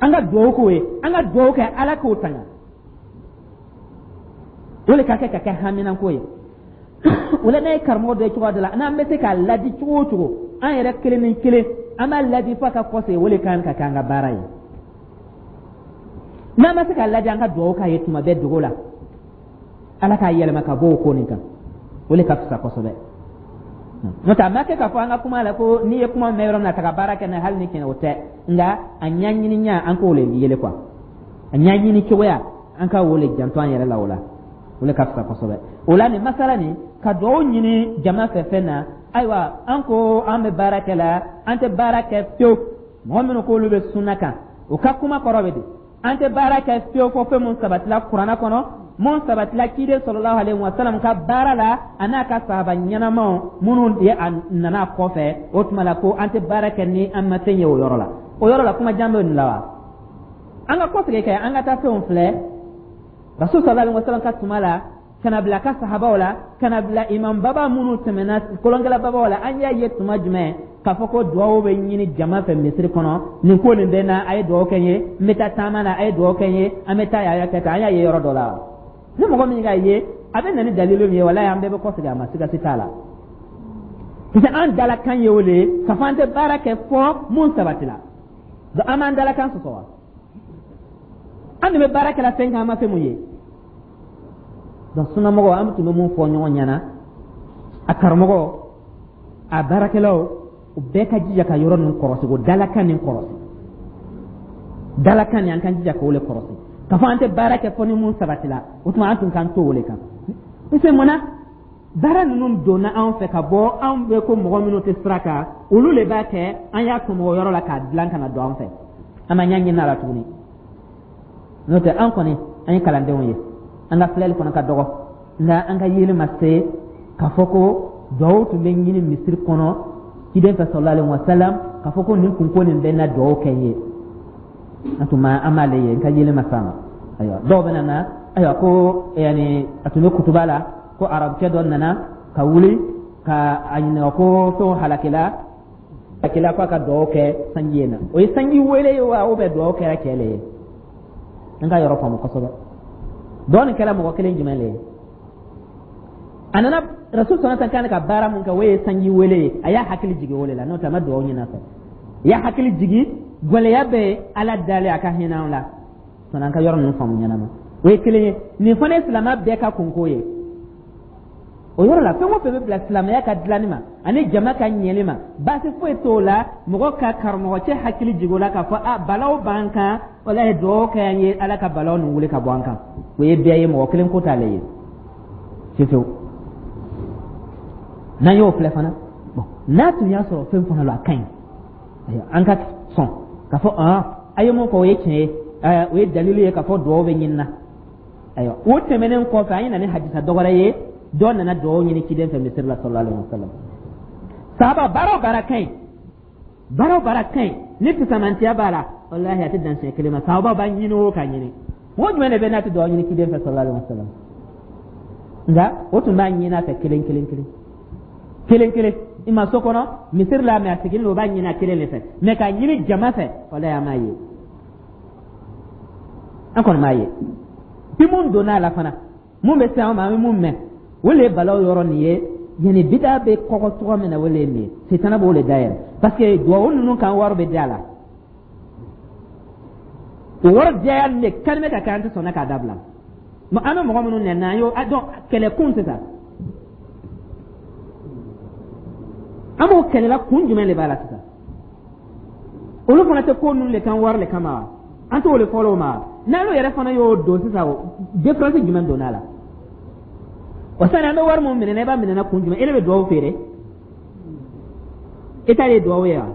[SPEAKER 1] An ka dugawu k'o ye, an ka dugawu kɛ Ala k'o tanga. O le ka kɛ haminanko ye. O la, n'a ye karamɔgɔ dɔ ye cogoya dɔ la, n'an bɛ se k'a ladi cogo o cogo, an yɛrɛ kelen ni kelen, an b'a ladi f'a ka kɔsegin. O le kan ka kɛ an ka baara ye. N'an ma se k'a ladi, an ka dugawu k'a ye tuma bɛɛ dogo la, Ala k'a yɛlɛma ka bɔ o ko nin kan. O le ka fisa kosɛbɛ. N'o tɛ, a ma kɛ k'a fɔ an ka kuma la ko n'i ye kuma mɛn yɔrɔ min na, ta ka baara kɛ n'a ye, hali ni tiɲɛ o tɛ. Nka a ɲɛɲiniya, an k'o le yele quoi. A ɲɛɲini cogoya, an ka o le janto an yɛrɛ la. O la, o le ka fisa kosɛbɛ. O la, nin masala nin, ka dugawu ɲini jama fɛ fɛn na, ayiwa, an ko an bɛ baara kɛ la, an tɛ baara kɛ fiyewu. Mɔgɔ minnu k'olu bɛ sunna kan, o ka kuma kɔrɔ bɛ di? An tɛ baara kɛ fiyewu fɔ fɛn mun sabatila Kuranna kɔnɔ, mun sabatila ciden sɔlɔlahu alayhi wa salam ka baara la, a n'a ka sahaba ɲɛnamaw minnu ye a nana kɔfɛ. O tuma la, ko an tɛ baara kɛ ni an ma fɛn ye o yɔrɔ la. O yɔrɔ la, kuma jan bɛ nin la wa? An ka kɔsegin kɛ, an ka taa fɛnw filɛ. Rasul sallallahu alaihi wa sallam ka tuma la, ka na bila ka sahabaw la, ka na bila imam baba minnu tɛmɛna, kolonkɛla babaw la, an y'a ye tuma jumɛn k'a fɔ ko duwawu bɛ ɲini jama fɛ misiri kɔnɔ? Nin ko nin bɛ na, a ye duwawu kɛ n ye. N bɛ taa taama na, a ye duwawu kɛ n ye. An bɛ taa yan, a y'a kɛ tan. An y'a ye yɔrɔ dɔ la? Ni mɔgɔ min k'a ye, a bɛ na ni dalilu min ye, walayi, an bɛɛ bɛ kɔsegin a ma, sigasi t'a la, parce que an dalakan ye o le ye k'a fɔ an tɛ baara kɛ fɔ mun sabatila. Donc an b'an dalakan sɔsɔ wa? An de bɛ baara kɛla fɛn kan, an ma fɛn mun ye. Donc sunnamɔgɔw, an tun bɛ mun fɔ ɲɔgɔn ɲɛna, a karamɔgɔ, a baarakɛlaw, u bɛɛ ka jija ka yɔrɔ nin kɔrɔsi, o dalakan nin kɔrɔsi. Dalakan nin, an kan jija k'o le kɔrɔsi, k'a fɔ an tɛ baara kɛ fɔ ni mun sabatila. O tuma, an tun k'an to o le kan, parce que mun na baara ninnu donna anw fɛ ka bɔ anw bɛ ko mɔgɔ minnu tɛ sira kan, olu le b'a kɛ. An y'a tɔmɔ o yɔrɔ la k'a dilan ka na don an fɛ, an ma ɲɛ ɲini a la tuguni. N'o tɛ, an kɔni, an ye kalandenw ye, an ka filɛli fana ka dɔgɔ, nka an ka yeli ma se k'a fɔ ko duwawu tun bɛ ɲini misiri kɔnɔ ciden fɛ sallallahu alaihi wasallam, k'a fɔ ko nin kunko nin bɛ na, duwawu kɛ n ye. An tun ma, an m'ale ye, n ka yeli ma s'a ma. Ayiwa, dɔw bɛ na, ayiwa, ko yanni a tun bɛ kutuba la, ko arabukɛ dɔ nana ka wuli ka a ɲininka ko fɛnw halakila halakila, k'a ka duwawu kɛ sanji ye na. O ye sanji wele ye wa, ou bien duwawu kɛra cɛ le ye? An ka yɔrɔ faamu kosɛbɛ. Dɔɔ nin kɛra mɔgɔ kelen jumɛn le ye? A nana Rasul sɔnna kan ka baara mun kɛ, o ye sanji wele ye. A y'a hakili jigin o de la. N'o tɛ, a ma duwawu ɲini a fɛ. A y'a hakili jigin, gɛlɛya bɛ Ala dalen, a ka hinɛ an la. Sɔnni an ka yɔrɔ ninnu faamu ɲɛnama, o ye kelen ye. Nin fana ye silamɛ bɛɛ ka kunko ye. O yɔrɔ la, fɛn o fɛn bɛ bila silamɛya ka dilanni ma ani jama ka ɲɛli ma, baasi foyi t'o la. Mɔgɔ ka karamɔgɔ cɛ hakili jigin o la k'a fɔ a balaw b'an kan, walayi, dugawu kɛ an ye, Ala ka balaw nin wuli ka bɔ an kan. O ye bɛɛ ye, mɔgɔ kelen ko t'ale ye fiyewu. N'an y'o filɛ fana, bon, n'a tun y'a sɔrɔ fɛn fana la, a ka ɲi, ayiwa, an ka sɔn k'a fɔ a ye mun fɔ, o ye tiɲɛ ye, o ye dalilu ye k'a fɔ dugawu bɛ ɲini na. Ayiwa, o tɛmɛnen kɔfɛ, an ye na ni hadisa dɔ wɛrɛ ye. Dɔ nana dugawu ɲini ciden fɛ misiri la sallallahu alaihi wasallam. Sahaba, baara o baara ka ɲi, baara o baara ka ɲi ni fisamantiya b'a la, walahi, a tɛ dan siɲɛ kelen ma. Sahaba b'a ɲini o ka ɲini. Mɔgɔ jumɛn de bɛ n'a tɛ dugawu ɲini kiden fɛ sallallahu alaihi wasallam? Nka o tun b'a ɲini a fɛ kelen kelen kelen kelen kelen. I ma so kɔnɔ misiri la, mɛ a sigilen don, o b'a ɲini a kelen de fɛ. Mɛ k'a ɲini jama fɛ, walayi, an m'a ye, an kɔni m'a ye. Bi mun donna a la fana, mun bɛ se an ma, an bɛ mun mɛn, o le ye balaw yɔrɔ nin ye. Yanni bida bɛ kɔgɔ cogo min na, o le ye nin ye. Setana b'o le dayɛlɛ, parce que duwawu ninnu kan, wari bɛ di a la. O wari diyaya nin de kalime ka kɛ, an tɛ sɔnna k'a dabila. An bɛ mɔgɔ minnu nɛni, an y'o dɔn kɛlɛkun sisan. An b'o kɛlɛla kun jumɛn de b'a la sisan? Olu fana tɛ ko ninnu de kan wari de kama wa? An t'o de fɔlɔ o ma. N'ale yɛrɛ fana y'o don sisan, o différence jumɛn donna a la? O sani an bɛ wari mun minɛ, i b'a minɛ kun jumɛn? E de bɛ duwawu feere, e ta ye duwawu ye wa?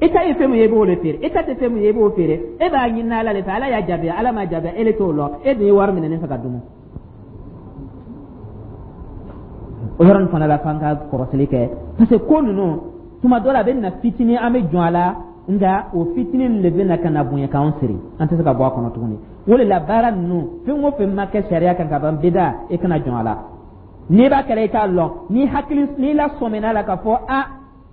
[SPEAKER 1] E ta ye fɛn min ye, i b'o de feere. E ta tɛ fɛn min ye, i b'o feere. E b'a ɲini Ala de fɛ. Ala y'a jaabi, Ala m'a jaabi, e le t'o lɔn. E dun ye wari minɛ ne fɛ ka dumu. O yɔrɔ nin fana la, f'an ka kɔrɔsili kɛ, parce que ko ninnu, tuma dɔ la, a bɛ na fitinin, an bɛ jɔn a la, nka o fitinin de bɛ na ka na bonya k'anw siri, an tɛ se ka bɔ a kɔnɔ tuguni. O de la, baara ninnu, fɛn o fɛn ma kɛ sariya kan ka ban, bida, e kana jɔn a la. N'i b'a kɛra, i k'a lɔn, n'i hakili n'i lasɔmina a la k'a fɔ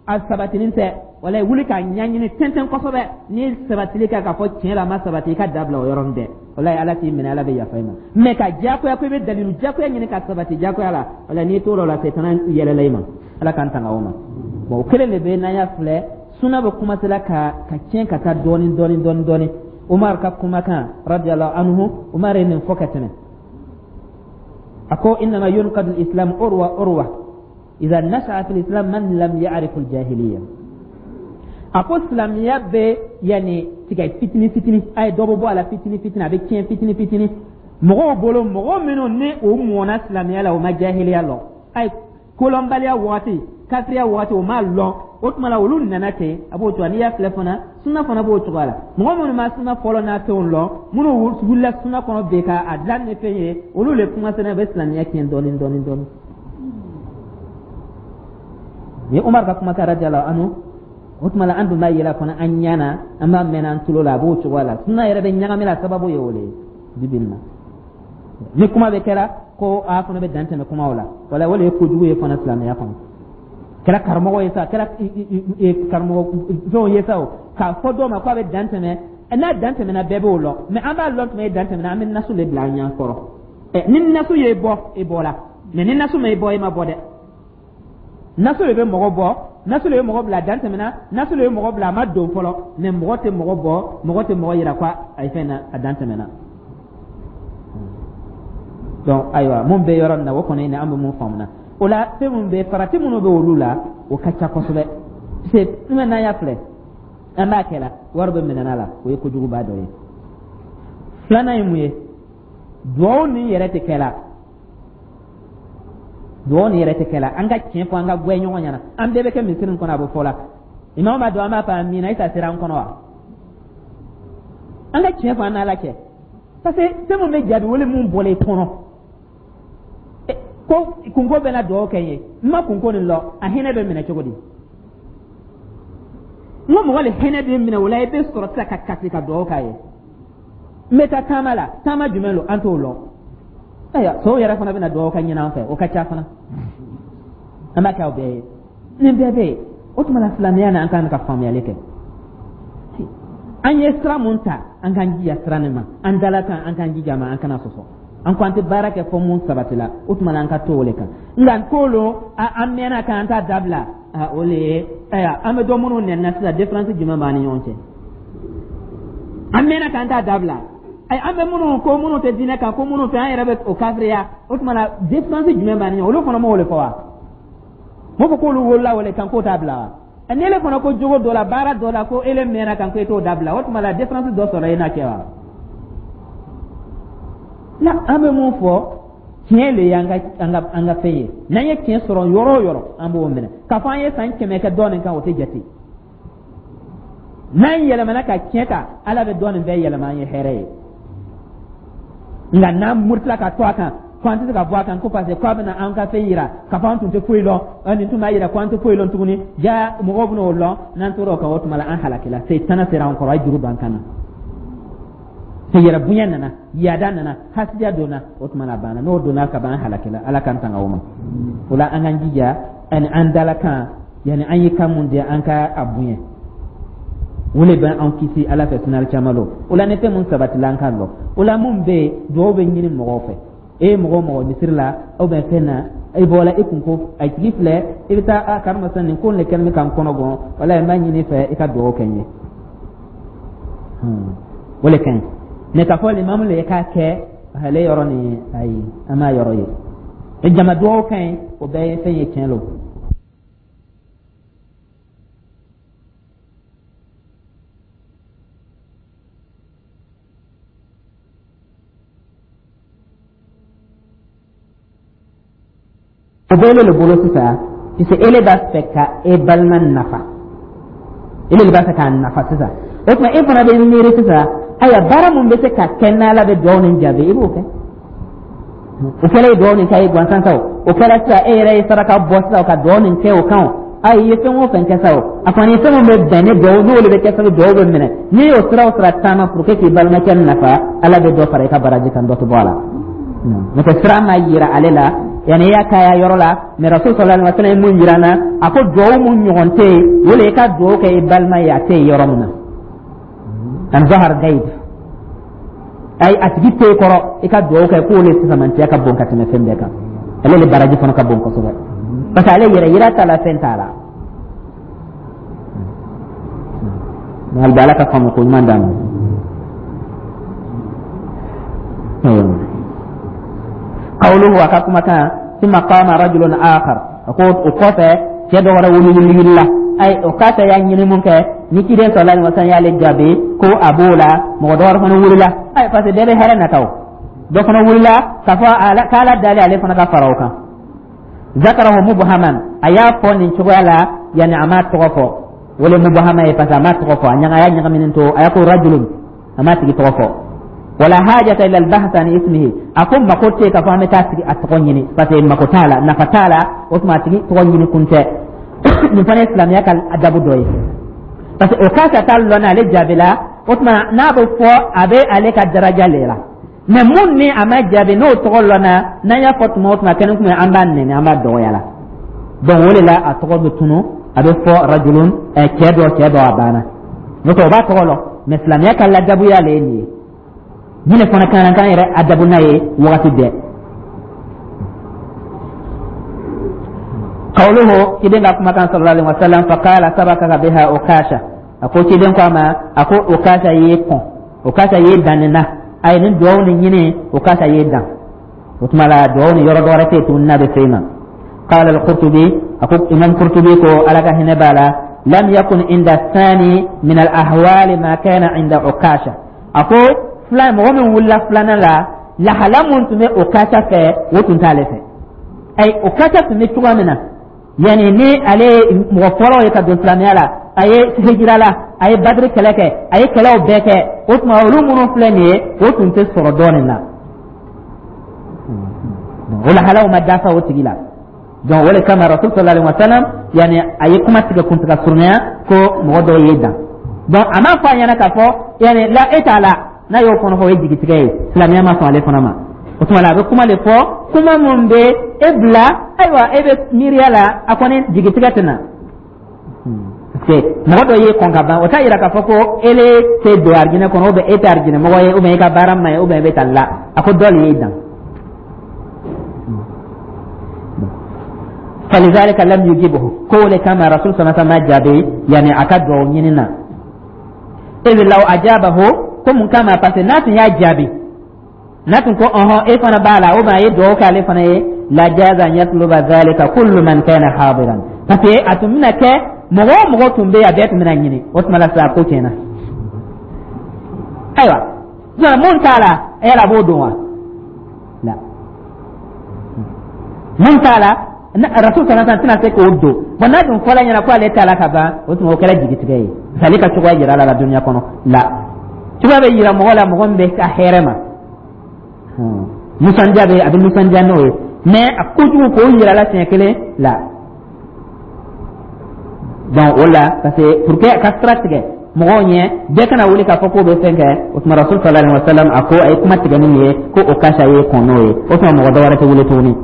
[SPEAKER 1] a sabatinin tɛ, wala wuli k'a ɲɛɲini tɛntɛn kosɛbɛ. N'i sabatili kɛ k'a fɔ tiɲɛ la a ma sabati, i ka dabila o yɔrɔnin bɛɛ. Walayi, Ala t'i minɛ, Ala bɛ yafa i ma. Mɛ ka diyagoya ko i bɛ dalilu diyagoya ɲini ka sabati diyagoya la, wala n'i tor'o la, setana yɛlɛla i ma. Ala k'an tanga o ma. Bon, o kelen de bɛ n'an y'a filɛ, suna bɛ commencé la ka tiɲɛ ka taa dɔɔni dɔɔni dɔɔni dɔɔni. Umar ka kumakan radiyallahu anhu, Umar ye nin fɔ ka tɛmɛ. A ko: innama yunqadu al-islam urwa urwa idha nasha'a fil islam man lam ya'rif al-jahiliya. A ko silamɛya bɛ yanni tigɛ fitini fitini, a ye dɔ bɛ bɔ a la fitini fitini, a bɛ tiɲɛ fitini fitini mɔgɔw bolo, mɔgɔ minnu ni u mɔna silamɛya la, u ma jahiliya lɔn, a ye kolɔnbaliya waati, kafiriya waati, o m'a lɔn. O tuma la, olu nana ten, a b'o cogoya. N'i y'a filɛ fana, suna fana b'o cogoya la. Mɔgɔ minnu ma suna fɔlɔ n'a fɛnw lɔn, minnu wulila suna kɔnɔ bi ka a dilan ni fɛn ye, olu le kuma sɛnɛ bɛ silamɛya tiɲɛ dɔɔni dɔɔni dɔɔni. Ni Umar ka kumakan radiyallahu anhu, o tuma la, an dun b'a yira fana an ɲɛ na, an b'a mɛn an tulo la, a b'o cogoya la. Suna yɛrɛ bɛ ɲagami la, sababu ye o de ye. Bi bi in na, ni kuma bɛ kɛra ko a fana bɛ dan tɛmɛ kumaw la, wala o de ye kojugu ye fana silamɛya kɔnɔ. Kɛra karamɔgɔ ye sa, kɛra karamɔgɔ fɛnw ye sa, o k'a fɔ dɔw ma k'a bɛ dan tɛmɛ, n'a dan tɛmɛna, bɛɛ b'o lɔn. Mɛ an b'a lɔn tuma ye dan tɛmɛna, an bɛ nasu de bila an ɲɛ kɔrɔ. Ni nasu ye bɔ, e bɔra. Mɛ ni nasu ma e bɔ, e ma bɔ dɛ. Nasu de bɛ mɔgɔ bɔ, nasu de bɛ mɔgɔ bila dan tɛmɛna, nasu de bɛ mɔgɔ bila a ma don fɔlɔ. Mɛ mɔgɔ tɛ mɔgɔ bɔ, mɔgɔ tɛ mɔgɔ yira ko a ye fɛn na, a dan tɛmɛna. Donc ayiwa, mun bɛ yɔrɔ min na, o kɔni ni an bɛ mun faamu na o la, fɛn mun bɛ farati minnu bɛ olu la, o ka ca kosɛbɛ. Parce que n'an y'a filɛ, an b'a kɛ la, wari bɛ minɛ la, o ye kojuguba dɔ ye. Filanan ye mun ye? Duwawu nin yɛrɛ tɛ kɛ la, duwawu nin yɛrɛ tɛ kɛ la. An ka tiɲɛ fɔ, an ka gwɛ ɲɔgɔn ɲɛna. An bɛɛ bɛ kɛ misiri nin kɔnɔ, a bɛ fɔ la, imamu b'a dɔn, an b'a fɔ amina, e ta sera an kɔnɔ wa? An ka tiɲɛ fɔ an n'Ala cɛ, parce que fɛn mun bɛ jaabi wele mun bɔra i kɔnɔ ko kunko bɛ na duwawu kɛ n ye, n ma kunko nin lɔ, a hinɛ bɛ minɛ cogo di? N ko mɔgɔ le hinɛ bɛ minɛ o la, i bɛ sɔrɔ sisan ka kasi ka duwawu k'a ye. N bɛ taa taama la, taama jumɛn lo? An t'o lɔn. Ayiwa, sow yɛrɛ fana bɛna dugawu ka ɲini an fɛ, o ka ca fana, an b'a kɛ aw bɛɛ ye. Nin bɛɛ bɛ yen. O tuma la, silamɛya na, an kan ka faamuyali kɛ. An ye sira mun ta, an k'an jija sira nin ma. An dala kan, an k'an jija ma, an kana sɔsɔ. An ko an tɛ baara kɛ fɔ mun sabatila, o tuma la, an ka to o le kan. Nka ko lo an mɛnna kan, an t'a dabila, o le ye. Ayiwa, an bɛ dɔ minnu nɛnina sisan, différence jumɛn b'an ni ɲɔgɔn cɛ? An mɛnna k'an t'a dabila. Ayi, an bɛ minnu ko minnu tɛ diinɛ kan, ko minnu fɛ an yɛrɛ bɛ o kafiriya, o tuma na, différence jumɛn b'an ni ɲɔgɔn? Olu fana m'o de fɔ wa? M'o fɔ k'olu wolola o le kan, k'o t'a bila wa? Ni ele fana ko jogo dɔ la, baara dɔ la, ko ele mɛnna kan, ko e t'o dabila, o tuma la, différence dɔ sɔrɔ e n'a cɛ wa? La, an bɛ mun fɔ? Tiɲɛ le y'an ka an ka fɛn ye. N'an ye tiɲɛ sɔrɔ yɔrɔ o yɔrɔ, an b'o minɛ. K'a fɔ an ye san 100 kɛ dɔ nin kan, o tɛ jate. N'an yɛlɛmana ka tiɲɛ ta, Ala bɛ dɔ nin bɛɛ yɛlɛma an ye hɛrɛ ye. Nka n'an murutila ka to a kan ko an tɛ se ka bɔ a kan, ko parce que k'a bɛna an ka fɛn yira k'a fɔ an tun tɛ foyi lɔn, nin tun b'a yira ko an tɛ foyi lɔn tuguni, ja mɔgɔw bɛna o lɔn. N'an tora o kan, o tuma la, an halakila, setana sera an kɔrɔ, a ye juru don an kan na. Yɛrɛ bonya nana, yaada nana, hasidiya donna, o tuma na a banna. N'o donna ka ban, an halakila. Ala k'an tanga o ma. O la, an k'an jija ani an dalakan, yani an ye kan mun di, an ka a bonya. O le bɛ an kisi Ala fɛ sinali caman lo. O la, ni fɛn mun sabatila, an k'a lɔ. O la, mun bɛ yen, duwawu bɛ ɲini mɔgɔw fɛ. E ye mɔgɔ o mɔgɔ misiri la ou bien fɛn na, i bɔra i kun ko a tigi filɛ, i bɛ taa a karima nin ko nin de kɛlen bɛ ka n kɔnɔ gɔn, walayi, n b'a ɲini i fɛ i ka duwawu kɛ n ye. O le ka ɲi. Mɛ k'a fɔ limamu le k'a kɛ ale yɔrɔ nin, ayi, an m'a yɔrɔ ye. Jama duwawu ka ɲi, o bɛɛ ye fɛn ye, tiɲɛ lo. O bɛ ele le bolo sisan, puisque ele b'a fɛ ka e balima nafa, ele de b'a fɛ k'a nafa sisan. O tuma, e fana bɛ miiri sisan, ayiwa, baara mun bɛ se ka kɛ n'Ala bɛ dugawu nin jaabi, i b'o kɛ. O kɛra ye dugawu nin kɛ a ye gansan sa o, o kɛra sisan e yɛrɛ ye saraka bɔ sisan ka dugawu nin kɛ o kan o, ayi, i ye fɛn o fɛn kɛ sa o, a kɔni ye fɛn min bɛ bɛn ni dugawu n'o de bɛ kɛ sababu dugawu bɛ minɛ. N'i y'o sira o sira taama pour que k'i balimakɛ nafa, Ala bɛ dɔ fara i ka baraji kan, dɔ tɛ bɔ a la. N'o tɛ, sira ma yira ale la, yanni i y'a k'a yɔrɔ la. Mɛ Rasul sallallahu alaihi wa sallam ye mun yira an na? A ko duwawu mun ɲɔgɔn tɛ yen, o le i ka duwawu kɛ i balima ye a tɛ yen yɔrɔ min na, an zahar gayib, ayi, a tigi tɛ kɔrɔ, i ka duwawu kɛ k'o le fisamantiya ka bon ka tɛmɛ fɛn bɛɛ kan. Ale le baraji fana ka bon kosɛbɛ, parce que ale yɛrɛ yira t'a la, fɛn t'a la. Hali bi, Ala ka faamu ko ɲuman d'an ma. Qawluhu, a ka kumakan, thumma qama rajulun akhar, a ko o kɔfɛ cɛ dɔ wɛrɛ wulila. Ayi, o k'a ta y'a ɲini mun kɛ ni ciden sallallahu alaihi wasallam y'ale jaabi ko a b'o la, mɔgɔ dɔ wɛrɛ fana wulila. Ayi, parce que bɛɛ bɛ hɛrɛ nata o. Dɔ fana wulila k'a fɔ k'Ala dali ale fana ka fara o kan. Zakarahu mubhaman, a y'a fɔ nin cogoya la, yani a m'a tɔgɔ fɔ. O le mubhama ye, parce que a m'a tɔgɔ fɔ, a ɲaga, a y'a ɲagaminen to, a y'a ko rajulun, a m'a tigi tɔgɔ fɔ. Wala hajata ila albahth an ismihi, a ko mako tɛ k'a fɔ an bɛ taa tigi a tɔgɔ ɲini, parce que mako t'a la, nafa t'a la. O tuma, a tigi tɔgɔ ɲini kun tɛ. Nin fana ye silamɛya ka adabu dɔ ye, parce que o k'a ka taa lɔn ale jaabi la. O tuma, n'a bɛ fɔ, a bɛ ale ka daraja le la. Mɛ mun ni a ma jaabi, n'o tɔgɔ lɔnna, n'an y'a fɔ tuma o tuma kɛnɛ kun, an b'a nɛni, an b'a dɔgɔya la. Donc o de la, a tɔgɔ bɛ tunu, a bɛ fɔ rajulun, cɛ dɔ, cɛ dɔ, a banna. N'o tɛ, o b'a tɔgɔ lɔn. Mɛ silamɛya ka ladabuya le ye nin ye. Nin de fana kan k'an yɛrɛ adabu n'a ye wagati bɛɛ. Qawluhu, ciden ka kumakan sallallahu alaihi wasallam, faqala sabaqaka biha Ukasha, a ko ciden ko a ma, a ko Ukasha y'i kɔn, Ukasha y'i dan nin na. A ye nin duwawu nin ɲini, Ukasha y'i dan. O tuma la, duwawu nin yɔrɔ dɔ wɛrɛ tɛ yen tuguni n'a bɛ se i ma. Qala al-Qurtubi, a ko Imam Qurtubi ko, Ala ka hinɛ b'a la, lam yakun inda thani min al-ahwali ma kana inda Ukasha. A ko filan mɔgɔ min wulila filanan la, lahala mun tun bɛ Ukasha fɛ, o tun t'ale fɛ. Ayi, Ukasha tun bɛ cogoya min na, yani ni ale ye mɔgɔ fɔlɔ ye ka don silamɛya la, a ye hijira la, a ye Badiri kɛlɛ kɛ, a ye kɛlɛw bɛɛ kɛ, o tuma olu minnu filɛ nin ye, o tun tɛ sɔrɔ dɔɔnin na. O lahalaw ma dafa o tigi la. Donc o de kama Rasul sallallahu alaihi wasallam, yani a ye kuma tigɛ kuntiga surunya ko mɔgɔ dɔw ye dan. Donc a m'a fɔ a ɲɛna k'a fɔ yani la e t'a la. N'a y'o fana fɔ, o ye jigitigɛ ye, silamɛya ma sɔn ale fana ma. O tuma la, a bɛ kuma de fɔ, kuma mun bɛ e bila, ayiwa, e bɛ miiriya la, a kɔni jigitigɛ tɛ na. Parce que mɔgɔ dɔ ye kɔn ka ban, o t'a yira k'a fɔ ko ele tɛ don arijinɛ kɔnɔ, ou bien e tɛ arijinɛ mɔgɔ ye, ou bien e ka baara man ɲi, ou bien e bɛ taa la. A ko dɔ de y'e dan. Falizalika lam yujibuhu, ko o de kama Rasul sallallahu alaihi wasallam jaabi, yani a ka duwawu ɲini na. Idh law ajabahu, ko mun kama? Parce que n'a tun y'a jaabi, n'a tun ko ɔhɔn, e fana b'a la, ou bien a ye duwawu kɛ ale fana ye, la jaza an yatluba dhalika kullu man kana hadiran, parce que a tun bɛna kɛ mɔgɔ o mɔgɔ tun bɛ yen, a bɛɛ tun bɛna ɲini. O tuma la sisan, ko tiɲɛna. Ayiwa, sisan mun t'a la, yala a b'o dɔn wa? La, mun t'a la, Rasul sallallahu alaihi wasallam tɛna se k'o don. Bon, n'a dun fɔla ɲɛna ko ale t'a la ka ban, o tuma o kɛra jigitigɛ ye, parce que ale ka cogoya yira la dunuya kɔnɔ la. Cogoya bɛ yira mɔgɔ la, mɔgɔ min bɛ ka hɛrɛ ma, nisɔndiya bɛ, a bɛ nisɔndiya n'o ye. Mais a kojugu k'o yira la siɲɛ kelen la. Donc o la, parce que pour que a ka sira tigɛ. Mɔgɔw ɲɛ bɛɛ kana wuli k'a fɔ k'o bɛ fɛn kɛ. O tuma Rasul sallallahu alaihi wasallam a ko, a ye kuma tigɛ ni nin ye ko Okasha ye kɔn n'o ye. O tuma mɔgɔ dɔ wɛrɛ tɛ wuli tuguni.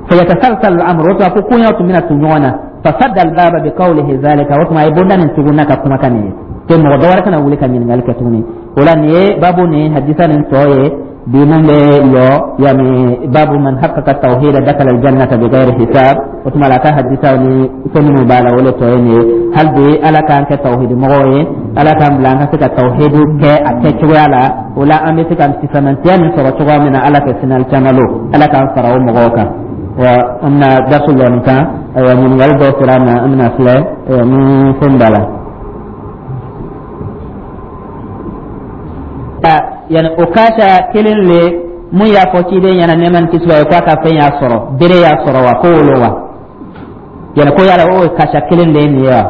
[SPEAKER 1] Fayatasalsal al-amr, o tuma ko koɲaw tun bɛna tu ɲɔgɔn na. Fasadda al-baba bi qawlihi zalika, o tuma a ye bonda nin tugun n'a ka kumakan nin ye ko mɔgɔ dɔ wɛrɛ kana wuli ka ɲininkali kɛ tuguni. O la nin ye babu ni hadisa nin tɔ ye bi mun bɛ yɔ, yani babu man haqqaqa tawhida dakala aljannata bighairi hisab. O tuma la a ka hadisaw ni fɛn minnu b'a la, o le tɔ ye nin ye. Hali bi Ala k'an kɛ tawhidi mɔgɔw ye, Ala k'an bila an ka se ka tawhidu kɛ a kɛcogoya la. O la an bɛ se ka fisamantiya nin sɔrɔ cogoya min na Ala fɛ sinali caman lo, Ala k'an fara o mɔgɔw kan. Wa an bɛna darsu lɔ nin kan. Ayiwa, ɲininkali dɔw sera an ma, an bɛna filɛ ni fɛn b'a la. Yani Okasha kelen le mun y'a fɔ ciden ɲɛna, nɛɛma ni kisi b'a ye, k'a ka fɛn y'a sɔrɔ, bere y'a sɔrɔ wa, ko wolo wa, yani ko yala o Okasha kelen le ye nin ye wa?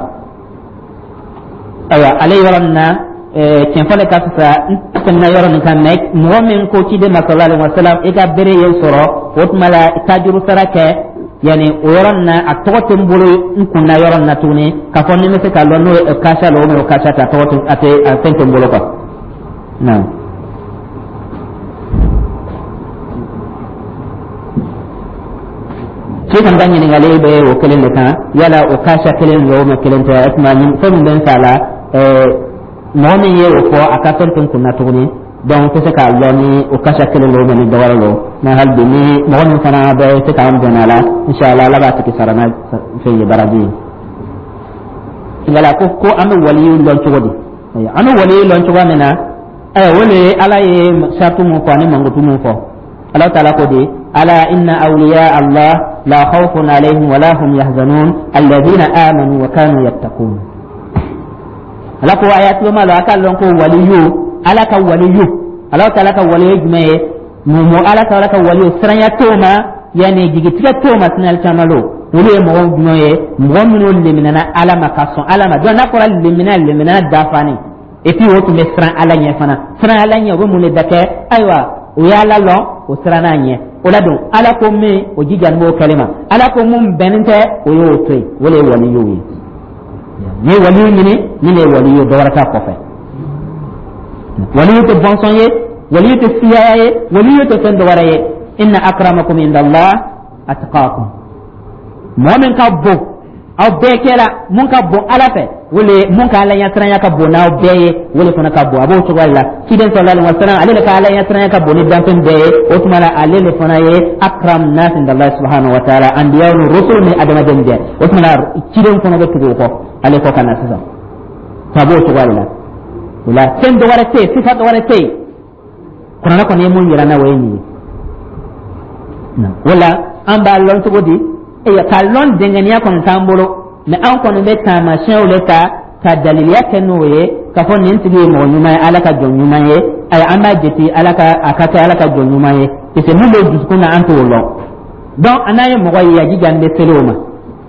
[SPEAKER 1] Ayiwa, ale yɔrɔ nin na, tiɲɛ le ka fisa n tɛmɛna yɔrɔ nin kan. Mɛ mɔgɔ min ko ciden ma sallallahu alaihi wasallam i ka bere ye sɔrɔ, o tuma la tajuru sara kɛ, yani o yɔrɔ nin na a tɔgɔ tɛ n bolo n kun na yɔrɔ nin na tuguni k'a fɔ ni n bɛ se k'a lɔn n'o ye Okasha la o mɛ Okasha tɛ, a tɔgɔ tɛ, a tɛ, a fɛn tɛ n bolo quoi. Naam. Ci kan ka ɲininkali bɛ o kelen de kan, yala Okasha kelen don o ma kelen tɛ. O tuma fɛn min bɛ n fa la, mɔgɔ min ye o fɔ, a ka fɛn tɛ n kun na tuguni, donc n tɛ se k'a lɔn ni Okasha kelen don o ni dɔ wɛrɛ don. Mais hali bi ni mɔgɔ min fana bɛ se k'an dɛmɛ a la, inshallah Ala b'a tigi sara n'a fɛn ye, baraji ye. Yala ko an bɛ waliyu lɔn cogo di? An bɛ waliyu lɔn cogoya min na, o le ye Ala ye saratu mun fɔ ani mankutu mun fɔ. Ala taala ko di: ala inna awliya Allah la khawfun alayhim wala hum yahzanun alladhina amanu wa kanu yattaqun. Ala ko a y'a tuloma lɔ, a k'a lɔn ko waliyu, Ala ka waliyu, Ala taala ka waliyu jumɛn ye? Mun Ala taala ka waliyu siranya t'o ma, yani jigitigɛ t'o ma sinali caman lo. Olu ye mɔgɔ jumɛn ye? Mɔgɔ minnu leminana Ala ma ka sɔn Ala ma. Donc n'a fɔra lemina, lemina dafani, et puis o tun bɛ siran Ala ɲɛ fana. Siran Ala ɲɛ, o bɛ mun de da kɛ? Ayiwa, o y'Ala lɔn, o siranna a ɲɛ. O la don Ala ko min, o jijani b'o kɛli ma. Ala ko mun bɛnnen tɛ, o y'o to yen. O de ye waliyu ye. N'i ye waliyu ɲini, nin de ye waliyu ye, dɔ wɛrɛ t'a kɔfɛ. Waliyu tɛ bɔnsɔn ye, waliyu tɛ siyaya ye, waliyu tɛ fɛn dɔ wɛrɛ ye. Inna akramakum indallah atqakum. Mɔgɔ min ka bon aw bɛɛ kɛra, mun ka bon Ala fɛ, wala mun ka Ala ɲɛsiranya ka bon n'aw bɛɛ ye, o de fana ka bon. A b'o cogoya de la. Ciden sallallahu alaihi wasallam, ale de ka Ala ɲɛsiranya ka bon ni danfɛn bɛɛ ye. O tuma la ale de fana ye akram nas inda Allah subhanahu wa ta'ala, anbiya ni rusul ni adamaden bɛɛ. O tuma la ciden fana bɛ tugu o kɔ, ale kɔ ka na sisan. A b'o cogoya de la. O la fɛn dɔ wɛrɛ tɛ yen, sifa dɔ wɛrɛ tɛ yen. Kuranɛ kɔni ye mun yira n na, o ye nin ye. O la an b'a lɔn cogo di? K'a lɔn dɛngɛniya kɔni t'an bolo, mɛ an kɔni bɛ taamasiyɛnw de ta ka daliliya kɛ n'o ye k'a fɔ nin tigi ye mɔgɔ ɲuman ye, Ala ka jɔn ɲuman ye. Ayi, an b'a jate Ala ka a ka kɛ Ala ka jɔn ɲuman ye, parce que mun bɛ dusukun na, an t'o lɔn. Donc an n'an ye mɔgɔ ye, a jijani bɛ seli o ma,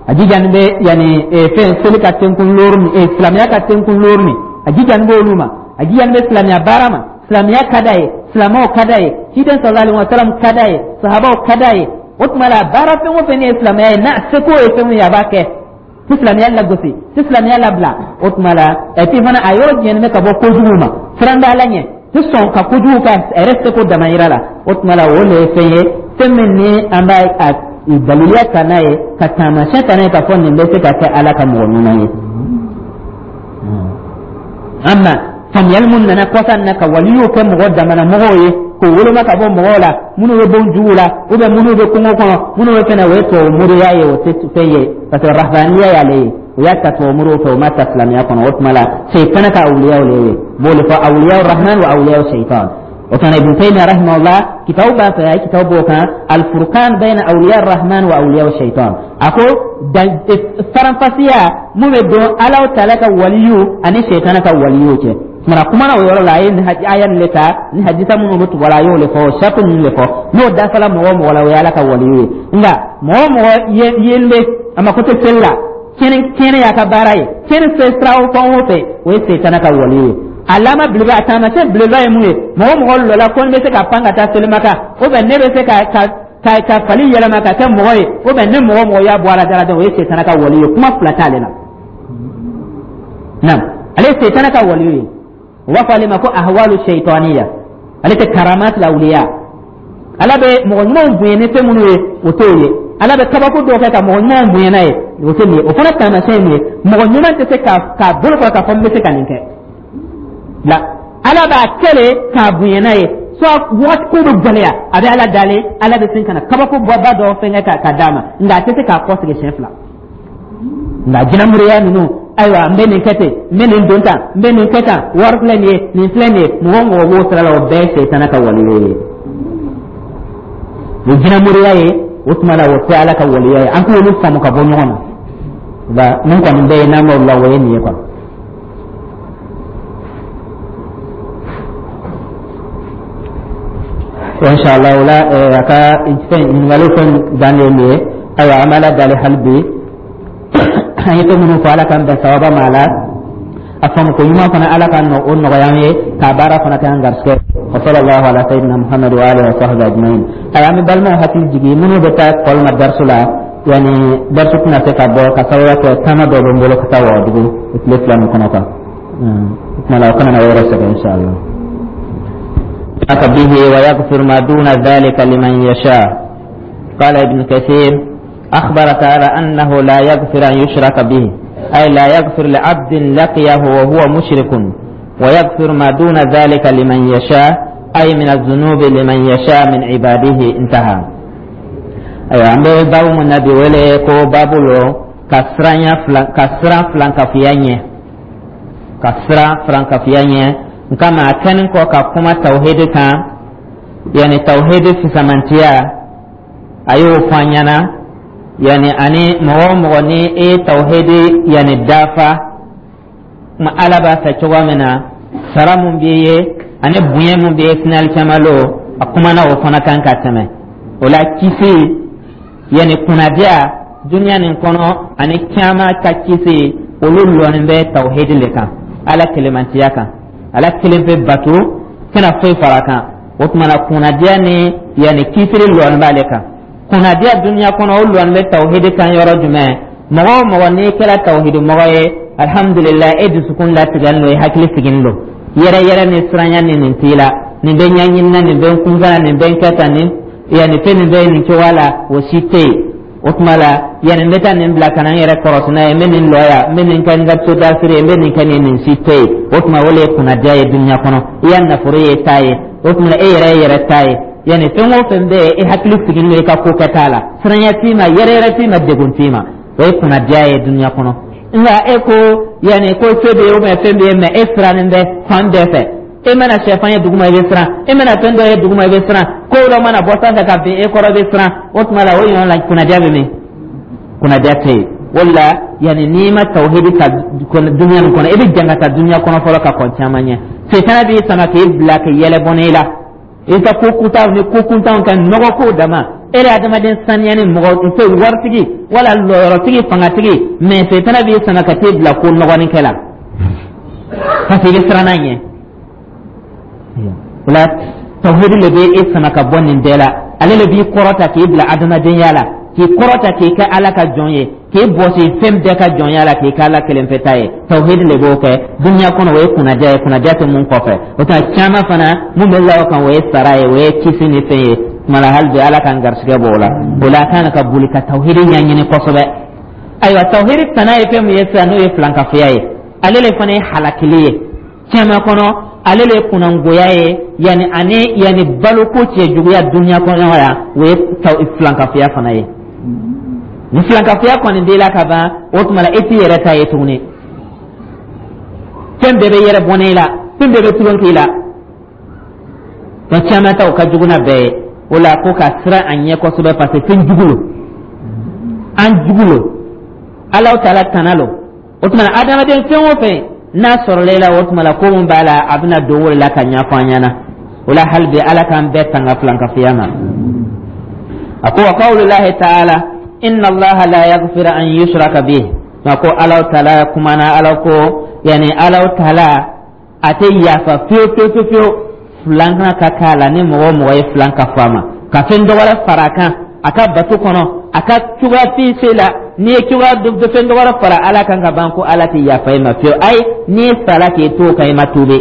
[SPEAKER 1] a jijani bɛ yanni fɛn seli ka tenkun looru min, silamɛya ka tenkun looru min, a jijani b'olu ma, a jijani bɛ silamɛya baara ma, silamɛya ka d'a ye, silamɛw ka d'a ye, ciden sallallahu alaihi wasallam ka d'a ye, sahabaw ka d'a ye. O tuma la baara fɛn o fɛn ne ye silamɛya ye, n'a seko ye fɛn min ye, a b'a kɛ, ti silamɛya lagosi, ti silamɛya labila. O tuma la et puis fana a yɔrɔ jɛnen bɛ ka bɔ kojugu ma, siran bɛ Ala ɲɛ, ti sɔn ka kojugu kɛ a yɛrɛ seko damayira la. O tuma la o le ye fɛn ye, fɛn min ni an b'a a daliliya ta n'a ye, ka taamasiyɛn ta n'a ye k'a fɔ nin bɛ se ka kɛ Ala ka mɔgɔ ɲuman ye. Amma faamuyali mun nana kɔsa in na ka waliyuw kɛ mɔgɔ damana mɔgɔw ye, k'o woloma ka bɔ mɔgɔw la minnu bɛ bon jugu la ou bien minnu bɛ kungo kɔnɔ, minnu bɛ fɛn na, o ye tubabu moriya ye, o tɛ fɛn ye, parce que rahbaniya y'ale ye, o y'a ta tubabu moriw fɛ, o ma ta silamɛya kɔnɔ. O tuma la seyitana ka awuliyaw le ye, b'o de fɔ awuliyaw rahman wa awuliyaw seytan. O fana Ibn Taymiyyah rahimahullah kitabu b'a fɛ, a ye kitabu b'o kan, al-furqan bayna awliya rahman wa awliya shaitan. A ko faranfasiya mun bɛ don Ala taala ka waliyu ani seyitana ka waliyu cɛ. Kumana kumana o yɔrɔ la, a ye nin aya nin le ta ni hadisa minnu bɛ tugu a la, a y'o le fɔ, o saratu ninnu le fɔ. N'o dafala mɔgɔ o mɔgɔ la, o ye Ala ka waliyu ye. Nka mɔgɔ o mɔgɔ yen bɛ a mako tɛ seli la, tiɲɛni y'a ka baara ye, tiɲɛni fɛ sira o fɛn o fɛ, o ye seyitana ka waliyu ye. Alama belebele, a taamasiyɛn belebeleba ye mun ye? Mɔgɔ mɔgɔ lɔla ko ne bɛ se ka pan ka taa selimaka, ou bien ne bɛ se ka fali yɛlɛma ka kɛ mɔgɔ ye, ou bien ne mɔgɔ mɔgɔ y'a bɔ a la dara, o ye seyitana ka wali ye. Kuma fila t'ale la. Naam, ale ye seytana ka waliyu ye. U b'a fɔ ale ma ko ahwalu shaytaniya. Ale tɛ karamat lawuliya. Ala bɛ mɔgɔ ɲumanw bonya ni fɛn minnu ye, o t'o ye. Ala bɛ kabako dɔw kɛ ka mɔgɔ ɲumanw bonya n'a ye, o tɛ nin ye. O fana taamasiyɛn ye mun ye? Mɔgɔ ɲuman tɛ se k'a bolo kɔrɔ k'a fɔ n bɛ se ka nin kɛ la. Ala b'a kɛlɛ k'a bonya n'a ye, soit wagati ko bɛ gɛlɛya, a bɛ Ala dalen, Ala bɛ sin ka na kabako bɔba dɔ fɛnkɛ ka d'a ma, nka a tɛ se k'a kɔsegin siɲɛ fila. Nka jinɛmoriya ninnu, ayiwa, n bɛ nin kɛ ten, n bɛ nin don tan, n bɛ nin kɛ tan, wari filɛ nin ye, nin filɛ nin ye, mɔgɔ o mɔgɔ b'o sira la, o bɛɛ ye seyitana ka waliyo ye. O jinɛmoriya ye, o tuma la o tɛ Ala ka waliya ye. An k'olu faamu ka bɔ ɲɔgɔn na. Nka mun kɔni bɛ yen n'an b'o la, o ye nin ye quoi. Inshallah, o la a ka fɛn ɲininkali fɛn dan de ye nin ye. Ayiwa, an bɛ Ala dali hali bi, an ye fɛn minnu fɔ, Ala k'an bɛn sawaba ma a la. A faamu ko ɲuman fana, Ala ka nɔ o nɔgɔya an ye k'a baara fana kɛ an garisɛgɛ. Wa sallallahu ala sayyidina Muhammad wa alihi wa sahbihi ajma'in. Ayiwa, an bɛ balimaw hakili jigin, minnu bɛ taa kɔli ma darisu la, yani darisu tɛna se ka bɔ ka sababuya kɛ taama dɔw bɛ n bolo ka taa Wagadugu tile 2 nin kɔnɔ kan. O tuma la o kana na o yɛrɛ sɛgɛn, inshallah. به ويغفر ما دون ذلك لمن يشاء. قال ابن كثير: أخبر تعالى أنه لا يغفر أن يشرك به، أي لا يغفر لعبد لقيه وهو مشرك، ويغفر ما دون ذلك لمن يشاء، أي من الذنوب لمن يشاء من عباده. انتهى. Ayiwa, an bɛ baabu mun na bi, wele ko baabu lo ka siran filankafoya ɲɛ, ka siran filankafoya ɲɛ. Nka ma a kɛlen kɔ ka kuma tawhidi kan, yani tawhidi fisamantiya, a y'o fɔ an ɲɛna, yani ani mɔgɔ o mɔgɔ ni e ye tawhidi yani dafa kuma Ala b'a fɛ cogoya min na, sara mun b'i ye ani bonya mun b'i ye sini alikiyama lon, a kumana o fana kan ka tɛmɛ. O la kisi, yani kunnadiya duniya nin kɔnɔ ani kiyama ka kisi, olu lɔnnen bɛ tawhidi le kan, Ala kelemantiya kan, Ala kelen pe bato, kana foyi fara kan. O tuma na kunnadiya ni yani kisiri lɔnnen b'ale kan. Kunnadiya duniya kɔnɔ, o lɔnnen bɛ tawhidi kan yɔrɔ jumɛn? Mɔgɔ o mɔgɔ n'i kɛra tawhidi mɔgɔ ye, alhamdulillah, e dusukun latigɛlen don, i hakili sigilen don, yɛrɛ yɛrɛ ni siranya ni nin t'i la, nin bɛ ɲɛɲini na, nin bɛ n kunfɛ, nin bɛ n kɛ tan, nin yanni fɛn nin bɛ nin cogoya la, o si tɛ yen. O tuma la yanni n bɛ taa nin bila ka na n yɛrɛ kɔrɔsi n'a ye, n bɛ nin lɔ yan, n bɛ nin kɛ n ka sodasiri ye, n bɛ nin kɛ nin si tɛ yen. O tuma o de ye kunnadiya ye duniya kɔnɔ. I ya nafolo ye ta ye, o tuma e yɛrɛ ye yɛrɛ ta ye. Yanni fɛn o fɛn bɛ yen, e hakili sigilen don i ka ko kɛta la, siranya t'i ma, yɛrɛ yɛrɛ t'i ma, degun t'i ma, o ye kunnadiya ye duniya kɔnɔ. Nka e ko yanni ko se bɛ yen ou bien fɛn bɛ yen, mɛ e sirannen bɛ fan bɛɛ fɛ. E mana sɛfan ye duguma, i bɛ siran. E mana fɛn dɔ ye duguma, i bɛ siran. Ko dɔ mana bɔ sanfɛ ka bin e kɔrɔ, i bɛ siran. O tuma la o ɲɔgɔn la kunnadiya bɛ min? Kunnadiya tɛ yen. O la yanni n'i ma tawhidi ta duniya nin kɔnɔ, i bɛ jan ka taa duniya kɔnɔ fɔlɔ ka kɔn caman ɲɛ. Setana b'i sama k'i bila k'i yɛlɛ bɔnɛ i la, i ka ko kuntanw ni ko kuntanw kɛ, nɔgɔ ko dama. E yɛrɛ adamaden saniyani mɔgɔ fɛ, waritigi wala lɔyɔrɔtigi, fangatigi, mɛ setana b'i sama ka t'i bila ko nɔgɔnin kɛ la, parce que i bɛ siran n'a ɲɛ. O la tawhidi le bɛ e sama ka bɔ nin bɛɛ la. Ale le b'i kɔrɔta k'i bila adamadenya la, k'i kɔrɔta k'i kɛ Ala ka jɔn ye, k'i bɔsi fɛn bɛɛ ka jɔnya la, k'i kɛ Ala kelen pe ta ye. Tawhidi le b'o kɛ duniya kɔnɔ. O ye kunnadiya ye, kunnadiya tɛ mun kɔfɛ. O tuma caman fana mun bɛ la o kan, o ye sara ye, o ye kisi ni fɛn ye. Tuma la hali bi Ala k'an garisigɛ bɔ o la. O la a kan ka boli ka tawhidi ɲɛɲini kosɛbɛ. Ayiwa, tawhidi tana ye fɛn mun ye sisan, n'o ye filankafoya ye, ale le fana ye halakili ye caman kɔnɔ, ale le kunnangoya ye, yanni ani yanni baloko cɛjuguya duniya kɔnɔ yan, o ye filankafoya fana ye. Ni filankafoya kɔni b'i la ka ban, o tuma la e t'i yɛrɛ ta ye tuguni. Fɛn bɛɛ bɛ yɛrɛ bɔnɛ i la, fɛn bɛɛ bɛ tulon k'i la. Fɛn caman ta o ka jugu n'a bɛɛ ye. O la ko ka siran a ɲɛ kosɛbɛ, parce que fɛn jugu lo, an jugu lo, Alahu taala tana lo. O tuma na adamaden fɛn o fɛn n'a sɔrɔla i la, o tuma la ko mun b'a la, a bɛna don o de la ka ɲɛfɔ an ɲɛna. O la hali bi Ala k'an bɛɛ tanga filankafoya ma. A ko wa qawlullahi ta'ala inna Allaha la yaghfiru an yushraka bihi. Nka ko Alahu taala kumana, Ala ko yanni Alahu taala a tɛ yafa fiyewu fiyewu fiyewu fiyewu filankan ka k'a la, ni mɔgɔ o mɔgɔ ye filan kafo a ma, ka fɛn dɔ wɛrɛ fara a kan a ka bato kɔnɔ, a ka cogoya fosi la. N'i ye cogoya dɔ fɛn dɔ wɛrɛ fara Ala kan ka ban, ko Ala tɛ yafa i ma fiyewu. Ayi, n'i sara k'i to o kan, i ma tuubi.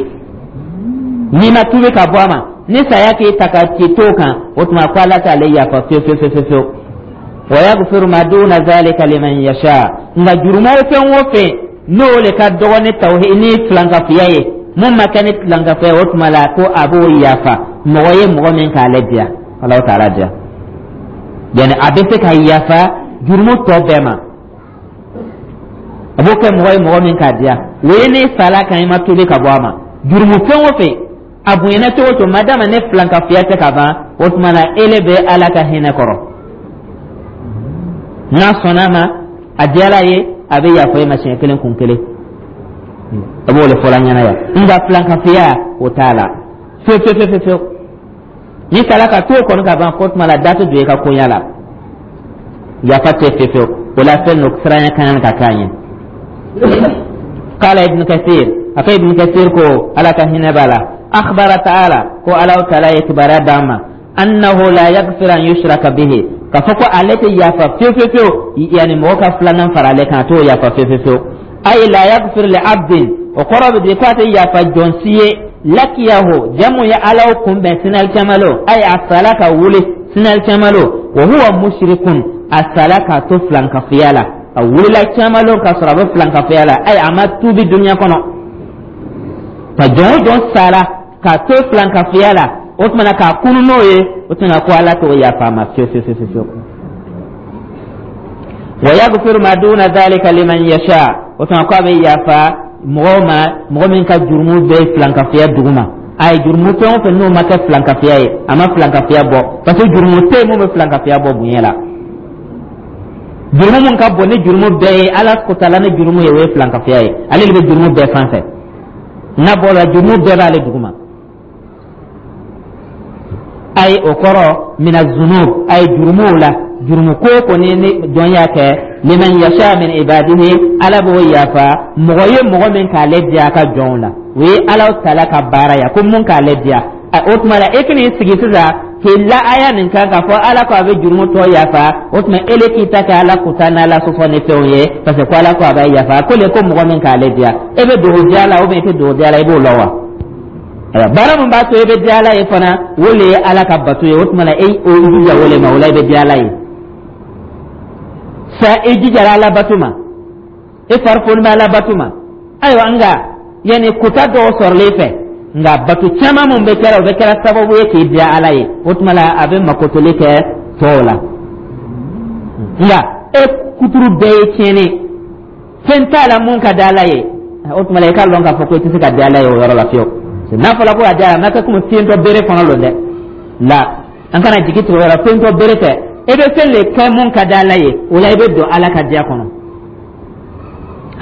[SPEAKER 1] N'i ma tuubi ka bɔ a ma, ni saya k'i ta ka k'i to o kan, o tuma ko Ala t'ale yafa fiyewu fiyewu fiyewu fiyewu. Wa yaghfiru ma duna zalika liman yasha. Nka jurumu fɛn o fɛn, n'o le ka dɔgɔ ni tawhid ni filankafoya ye, mun ma kɛ ni filankafoya ye, o tuma la ko a b'o yafa mɔgɔ ye, mɔgɔ min k'ale diya, Alahu taala diya. Yani a bɛ se ka yafa jurumu tɔ bɛɛ ma, a b'o kɛ mɔgɔ ye, mɔgɔ min k'a diya. O ye n'i sala kan, i ma tuubi ka bɔ a ma. Jurumu fɛn o fɛn, a bonyana cogo o cogo, madama ne filankafoya tɛ ka ban, o tuma na ele bɛ Ala ka hinɛ kɔrɔ. N'a sɔnna a ma, a diyala ye, a bɛ yafa e ma siɲɛ kelen kun kelen. A b'o de fɔla ɲɛna yan. Nka filankafoya, o t'a la fiyewu fiyewu fiyewu fiyewu. N'i sala ka to o kɔni ka ban, ko tuma la da tɛ don i ka koɲa la, yafa tɛ fiyewu fiyewu. O la fɛn dɔ siranya kan ka k'a ɲɛ. Qala Ibn Kathir, a ko Ibn Kathir ko, Ala ka hinɛ b'a la, akhbara ta'ala, ko Ala ta'ala ye kibaruya d'an ma, annahu la yaghfir an yushraka bihi, k'a fɔ ko ale tɛ yafa fiyewu fiyewu fiyewu, yani mɔgɔ ka filanan fara ale kan, a t'o yafa fiyewu fiyewu fiyewu. Ay la yaghfir li abdin, o kɔrɔ bɛ di ko a tɛ yafa jɔn si ye, lakiyahu, jamu ye Ala kunbɛn sini alikiyama lon, ay a sala ka wuli sini alikiyama lon, wa huwa mushrikun, a sala k'a to filankafoya la, a wulila kiyama lon k'a sɔrɔ a bɛ filankafoya la, ay a ma tuubi dunuya kɔnɔ. Ka jɔn o jɔn sala k'a to filankafoya la, o tuma na k'a kunu n'o ye, o tuma ko Ala t'o yafa a ma fiyewu fiyewu fiyewu fiyewu. Wa yaghfiru ma duna dhalika liman yasha, o tuma ko a bɛ yafa mɔgɔw ma, mɔgɔ min ka jurumu bɛ filankafoya duguma. A ye jurumu fɛn o fɛn, n'o ma kɛ filankafoya ye, a ma filankafoya bɔ, parce que jurumu tɛ yen mun bɛ filankafoya bɔ bonya la. Jurumu mun ka bon ni jurumu bɛɛ ye, Ala kotala ni jurumu ye, o ye filankafoya ye. Ale de bɛ jurumu bɛɛ fan fɛ. N'a bɔra, jurumu bɛɛ b'ale duguma. Ayi, o kɔrɔ mina zunub, a ye jurumuw la, jurumu ko o ko ni jɔn y'a kɛ, liman yasha min ibadihi, Ala b'o yafa mɔgɔ ye, mɔgɔ min k'ale diya a ka jɔnw la. O ye Ala taala ka baara ye, ko mun k'ale diya. O tuma la, e k'i sigi sisan k'i la aya nin kan k'a fɔ Ala ko a bɛ jurumu tɔ yafa, o tuma ele k'i ta kɛ Ala kuta n'Ala sɔsɔ ni fɛnw ye, parce que ko Ala ko a b'a yafa, ko le ko mɔgɔ min k'ale diya. E bɛ dogo diya la ou bien i tɛ dogo diya la, i b'o lɔn wa? Ayiwa, baara min b'a to e bɛ diya Ala ye fana, o le ye Ala ka bato ye. O tuma la, e o jija o le ma, o la i bɛ diya Ala ye. Sa i jijara Ala bato ma, e farifoni bɛ Ala bato ma. Ayiwa, nka yanni kuta dɔw sɔrɔlen i fɛ, nka bato caman mun bɛ kɛra, o bɛ kɛra sababu ye k'i diya Ala ye, o tuma la a bɛ makotoli kɛ tɔw la. Nka e kuturu bɛɛ ye tiɲɛni, fɛn t'a la mun ka di Ala ye, o tuma la i k'a lɔn k'a fɔ ko i tɛ se ka diya Ala ye o yɔrɔ la fiyewu. N'a fɔra ko a diya, a ma kɛ komi fiyentɔ bere kɔnɔ lon dɛ. La an kana jigi tigɛ o yɔrɔ, fiyentɔ bere tɛ. E bɛ fɛn de kɛ mun ka di Ala ye, o la i bɛ don Ala ka diya kɔnɔ.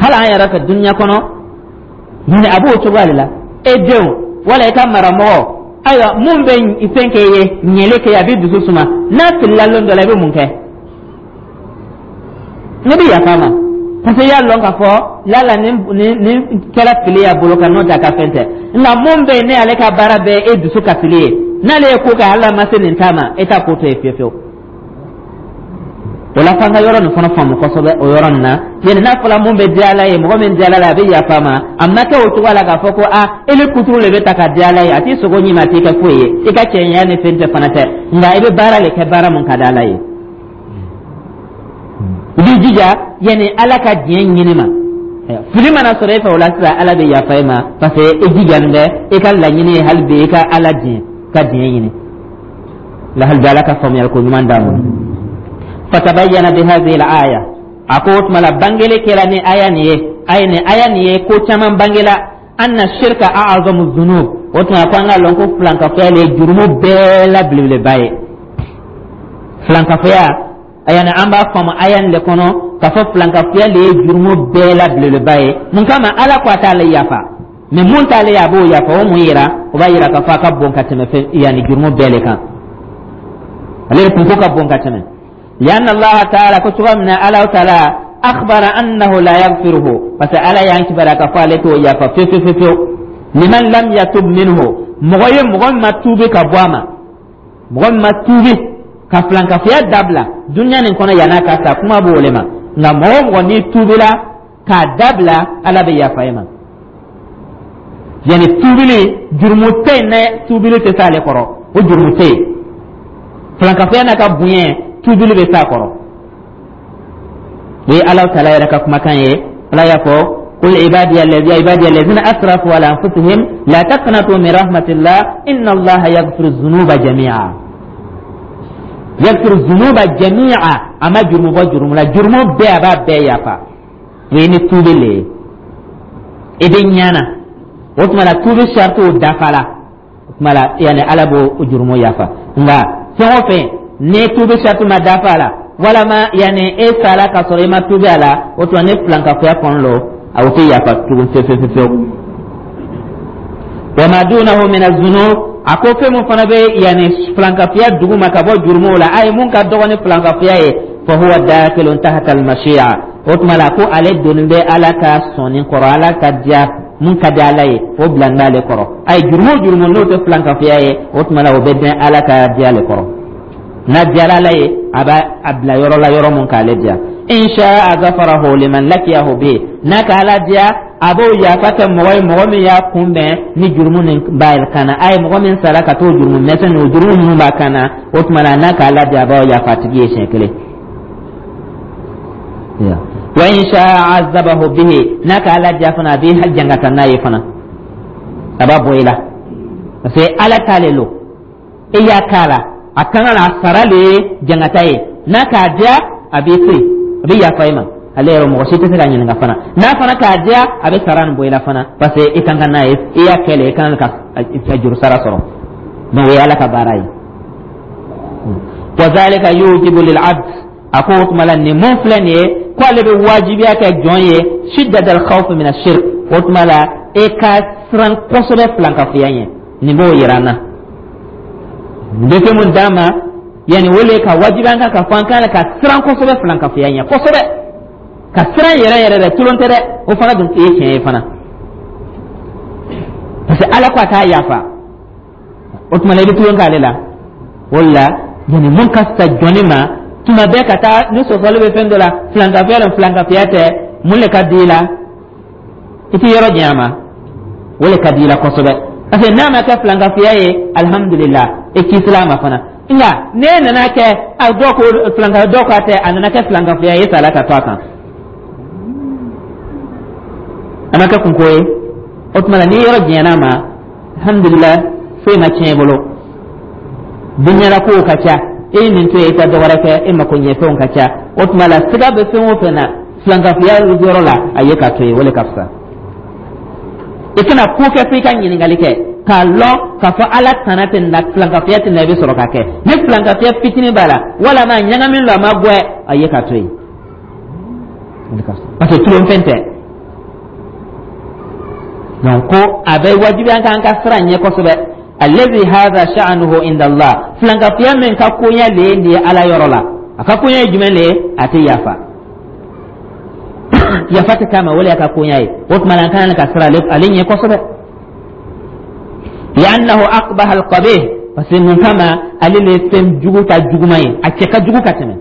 [SPEAKER 1] Hali an yɛrɛ fɛ dunuya kɔnɔ, a b'o cogoya de la. E denw wala i ka maramɔgɔ, ayiwa, mun bɛ fɛn kɛ i ye, ɲɛli kɛ, a b'i dusu suma, n'a filila lon dɔ la, i bɛ mun kɛ? Ne bɛ yafa a ma, parce que i y'a lɔn k'a fɔ lala nin kɛra fili y'a bolo kan, n'o tɛ a ka fɛn tɛ. Nka mun bɛ yen, ne ale ka baara bɛɛ e dusu kasili ye, n'ale ye ko kɛ, hali a ma se nin ta ma, e t'a ko to yen fiyewu fiyewu. O la f'an ka yɔrɔ nin fana faamu kosɛbɛ o yɔrɔ nin na. Yani n'a fɔra mun bɛ diya Ala ye, mɔgɔ min diya Ala ye, a bɛ yafa a ma, a ma kɛ o cogoya la k'a fɔ ko a ele kuturu de bɛ ta ka diya Ala ye. A t'i sogo ɲimi, a t'i kɛ foyi ye, i ka cɛɲɛya ni fɛn tɛ fana tɛ. Nka i bɛ baara de kɛ, baara mun ka di Ala ye, i b'i jija yani Ala ka diɲɛ ɲini ma. Fili mana sɔrɔ e fɛ, o la sisan Ala bɛ yafa e ma, parce que e jijalen bɛ, e ka laɲini ye hali bi i ka Ala diɲɛ ka diɲɛ ɲini la. Hali bi Ala ka faamuyali ko ɲuman d'an ma. Fatabayyana bi hadhihi al-aya, a ko o tuma la bangeli kɛra ni aya nin ye, ayi, ni aya nin ye ko caman bangela, anna shirka a'zamu dhunub. O tuma ko an ka lɔn ko filankafoya le ye jurumu bɛɛ la belebeleba ye. Filankafoya, yani an b'a faamu aya nin le kɔnɔ k'a fɔ filankafoya le ye jurumu bɛɛ la belebeleba ye. Mun kama? Ala ko a t'ale yafa, mais mun t'ale ye, a b'o yafa. O mun yira? O b'a yira k'a fɔ a ka bon ka tɛmɛ fɛn, yanni jurumu bɛɛ le kan, ale de kunko ka bon ka tɛmɛ. Lianna Allah taala, ko cogoya min na Ala taala akhbara annahu la yaghfiruhu, parce que Ala y'an kibaruya k'a fɔ ale t'o yafa fiyewu fiyewu fiyewu, liman lam yatub minhu, mɔgɔ ye, mɔgɔ min ma tuubi ka bɔ a ma, mɔgɔ min ma tuubi ka filankafoya dabila dunuya nin kɔnɔ yann'a ka sa. Kuma b'o le ma. Nka mɔgɔ o mɔgɔ n'i tuubila k'a dabila, Ala bɛ yafa i ma. Yani tuubili, jurumu tɛ yen nɛ, tuubili tɛ s'ale kɔrɔ, o jurumu tɛ yen. Filankafoya n'a ka bonya, tuubili bɛ s'a kɔrɔ. O ye Ala taala yɛrɛ ka kumakan ye. Ala y'a fɔ: قل عبادي الذين أسرفوا على أنفسهم لا تقنطوا من رحمة الله إن الله يغفر الذنوب جميعا. يغفر الذنوب جميعا, a ma jurumu bɔ jurumu la, jurumu bɛɛ, a b'a bɛɛ yafa. O ye ni tuubi le ye, i bɛ ɲana. O tuma la, tuubi saritiw dafala, o tuma la, yani Ala b'o jurumu yafa. Nka fɛn o fɛn ni tuubi sariti ma dafa a la, walama yani e sara ka sɔrɔ i ma tuubi a la, o tuma ni filankafoya kɔni lo, a tɛ yafa tugun fewu fewu fewu. Wa ma dunahu min azunub, a ko fɛn mun fana bɛ yani filankafoya duguma ka bɔ jurumuw la, a ye mun ka dɔgɔ ni filankafoya ye, fa huwa dakilun tahta almashi'a. O tuma la, ko ale doni bɛ Ala ka sɔnni kɔrɔ, Ala ka diya, mun ka di Ala ye, o bila n'ale kɔrɔ. A ye jurumu o jurumu n'o tɛ filankafoya ye, o tuma la, o bɛ dɛn Ala ka diya le kɔrɔ. N'a diyara Ala ye, a b'a a bila yɔrɔ la, yɔrɔ mun k'ale diya. In sha'a ghafarahu liman lakiyahu bi, n'a ka Ala diya, a b'o yafa kɛ mɔgɔ ye, mɔgɔ min y'a kunbɛn ni jurumu nin b'a kan na. A ye mɔgɔ min sara ka t'o jurumu mɛsɛn, o jurumu minnu b'a kan na, o tuma na, n'a ka Ala diya, a b'o yafa a tigi ye siɲɛ kelen. Wa in sha'a azabahu bihi, n'a ka Ala diya fana, a b'i jangata n'a ye fana, a b'a bɔ i la, parce que Ala t'ale lo, e y'a k'a la, a kan ka na sara le ye jangata ye. N'a k'a diya, a b'i to yen, a bɛ yafa i ma, ale yɛrɛ mɔgɔ si tɛ se ka ɲininka fana. N'a fana k'a diya, a bɛ sara nin bɔ i la fana, parce que i kan ka n'a ye, i y'a kɛ le, i kan ka juru sara sɔrɔ. Donc o ye Ala ka baara ye. Wa zalika yujibu lil abd, a ko o tuma la, nin mun filɛ nin ye, ko ale bɛ wajibiya kɛ jɔn ye, shiddatal khawf min ashirk. O tuma la, e ka siran kosɛbɛ filankafoya ɲɛ. Nin b'o yira an na, nin bɛ fɛn mun d'an ma, yanni o le ka wajibiya an kan ka fɔ an kan ka siran kosɛbɛ filankafoya ɲɛ, kosɛbɛ, ka siran yɛrɛ yɛrɛ dɛ, tulon tɛ dɛ. O fana dun ye tiɲɛ ye fana, parce que Ala ko a t'a yafa. O tuma la, i bɛ tulon k'ale la. O la, yanni mun ka fisa jɔnni ma tuma bɛɛ, ka taa ni sɔsɔli bɛ fɛn dɔ la, filankafoya la, filankafoya tɛ, mun le ka di i la? I tɛ yɔrɔ janya ma, o le ka di i la kosɛbɛ, parce que n'a ma kɛ filankafoya ye, alihamudulila, e kisila a ma fana. Nka n'e nana kɛ, a dɔw ko filanka, dɔw ko a tɛ, a nana kɛ filankafoya ye, e sala ka to a kan, a ma kɛ kunko ye. O tuma na, n'i yɔrɔ janyana a ma, alhamdulila, foyi ma tiɲɛ i bolo. Diɲɛla kow ka ca, e ye nin to yen, i ka dɔ wɛrɛ kɛ, e mako ɲɛfɛnw ka ca. O tuma la, siga bɛ fɛn o fɛn na filankafoya yɔrɔ la, a ye ka to yen, o le ka fisa. I kana ko kɛ fo i ka ɲininkali kɛ k'a lɔn k'a fɔ Ala tana tɛ na, filankafoya tɛ na, i bɛ sɔrɔ ka kɛ. Ni filankafoya fitinin b'a la, walama ɲagamin don, a ma gwɛ, a ye ka to yen, parce que tulonfɛn tɛ. Donc ko a bɛ wajibi an kan ka siran ɲɛ kosɛbɛ. Allazi hadha sha'nuhu inda Allah, filankafoya min ka koɲɛ le ye nin ye Ala yɔrɔ la, a ka koɲɛ ye jumɛn le ye? A tɛ yafa, yafa tɛ k'a ma, o le y'a ka koɲɛ ye. O tuma na, an kan ka siran ale ɲɛ kosɛbɛ. Li'annahu aqbaha alqabih, parce que mun kama? Ale le ye fɛn jugu ta juguman ye, a cɛ ka jugu ka tɛmɛ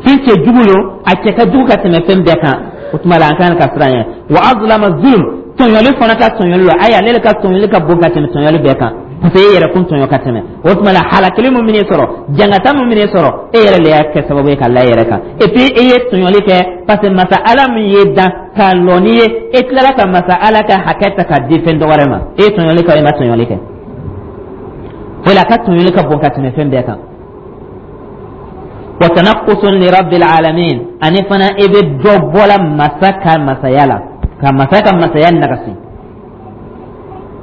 [SPEAKER 1] fɛn cɛ jugu lo, a cɛ ka jugu ka tɛmɛ fɛn bɛɛ kan. O tuma la, an kan ka siran ɲɛ. Wa azlama zulm, tɔɲɔli fana ka tɔɲɔli lo, ayi, ale ka tɔɲɔli ka bon ka tɛmɛ tɔɲɔli bɛɛ kan, parce que e yɛrɛ kun tɔɲɔ ka tɛmɛ. O tuma la, halakili mun bɛn'i sɔrɔ, jangata mun bɛn'i sɔrɔ, e yɛrɛ le y'a kɛ sababu ye ka la e yɛrɛ kan. Et puis e ye tɔɲɔli kɛ, parce que masa Ala min ye dan k'a lɔ n'i ye, e tilala ka masa Ala ka hakɛ ta k'a di fɛn dɔ wɛrɛ ma. E ye tɔɲɔli kɛ, e ma tɔɲɔli kɛ. O la, a ka tɔɲɔli ka bon ka tɛmɛ fɛn bɛɛ kan. Wa tanaqqusun li rabbil alamin, ani fana e bɛ dɔ bɔla masa ka masaya la, ka masa ka masaya nagasi,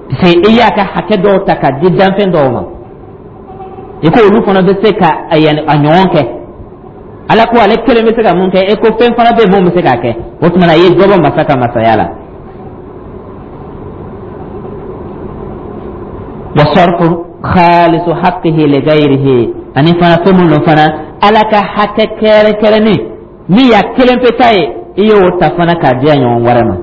[SPEAKER 1] parce que e y'a ka hakɛ dɔw ta ka di danfɛn dɔw ma, i ko olu fana bɛ se ka a ɲɔgɔn kɛ. Ala ko ale kelen bɛ se ka mun kɛ, e ko fɛn fana bɛ yen mun bɛ se k'a kɛ. O tuma na, i ye dɔ bɔ masa ka masaya la. Wa sarfu khalisu haqqihi li ghayrihi, ani fana fɛn mun don fana, Ala ka hakɛ kɛrɛnkɛrɛnnen min y'a kelen pe ta ye, i y'o ta fana k'a di a ɲɔgɔn wɛrɛ ma.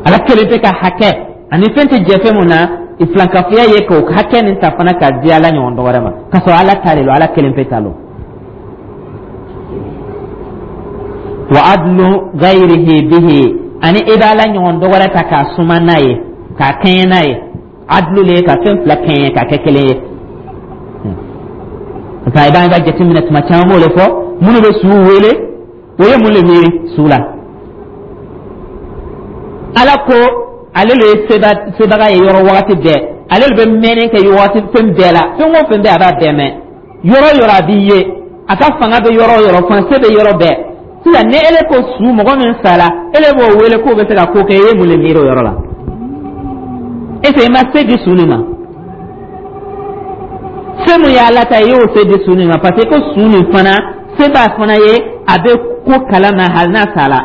[SPEAKER 1] Ala kelen pe ka hakɛ, ani fɛn tɛ jɛ fɛn mun na, i filankafoya ye k'o hakɛ nin ta fana k'a di Ala ɲɔgɔn dɔ wɛrɛ ma, k'a sɔrɔ Ala ta de don, Ala kelen pe ta don. Wa adlu ghayrihi bihi, ani i b'ala ɲɔgɔn dɔ wɛrɛ ta k'a suma n'a ye, k'a kɛɲɛ n'a ye. Adlu le ye ka fɛn fila kɛɲɛ k'a kɛ kelen ye. Parce que i b'an ka jateminɛ, tuma caman b'o de fɔ, minnu bɛ suw wele, o ye mun le miiri su la? Ala ko ale le ye sebaga ye yɔrɔ wagati bɛɛ, ale le bɛ mɛnni kɛ wagati fɛn bɛɛ la. Fɛn o fɛn bɛ, a b'a bɛɛ mɛn. Yɔrɔ o yɔrɔ a b'i ye, a ka fanga bɛ yɔrɔ o yɔrɔ, fanga bɛ yɔrɔ bɛɛ. Sisan ni ele ko su, mɔgɔ min sara, ele b'o wele k'o bɛ se ka ko kɛ, i ye mun le miiri o yɔrɔ la? Est ce que i ma se di su nin ma? Se mun y'ala ta ye, i y'o se di su nin ma, parce que ko su nin fana se b'a fana ye, a bɛ ko kalama hali n'a sara,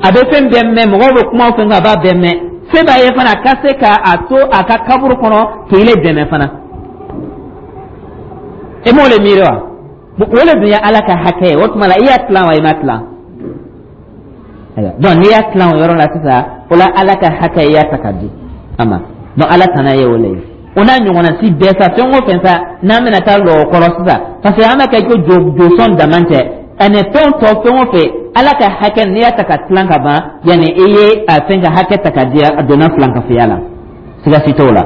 [SPEAKER 1] a bɛ fɛn bɛɛ mɛn, mɔgɔw bɛ kuma o fɛn kan, a b'a bɛɛ mɛn. Se b'a ye fana a ka se ka a to a ka kaburu kɔnɔ k'i le dɛmɛ fana. E m'o le miiri wa? O le dun ye Ala ka hakɛ ye. O tuma la, i y'a tilan wa, i ma tilan? Donc n'i y'a tilan o yɔrɔ la sisan, o la Ala ka hakɛ, i y'a ta ka di a ma. Donc Ala tana ye o le ye. O n'a ɲɔgɔnna si bɛɛ sa, fɛn o fɛn sa, n'an bɛna taa lɔ o kɔrɔ sisan, parce que an b'a kɛ ko josɔn dama tɛ, ani fɛn tɔ, fɛn o fɛn, Ala ka hakɛ, n'i y'a ta ka tilan ka ban, yanni i ye a fɛn ka hakɛ ta ka di, a donna filankafoya la, siga si t'o la.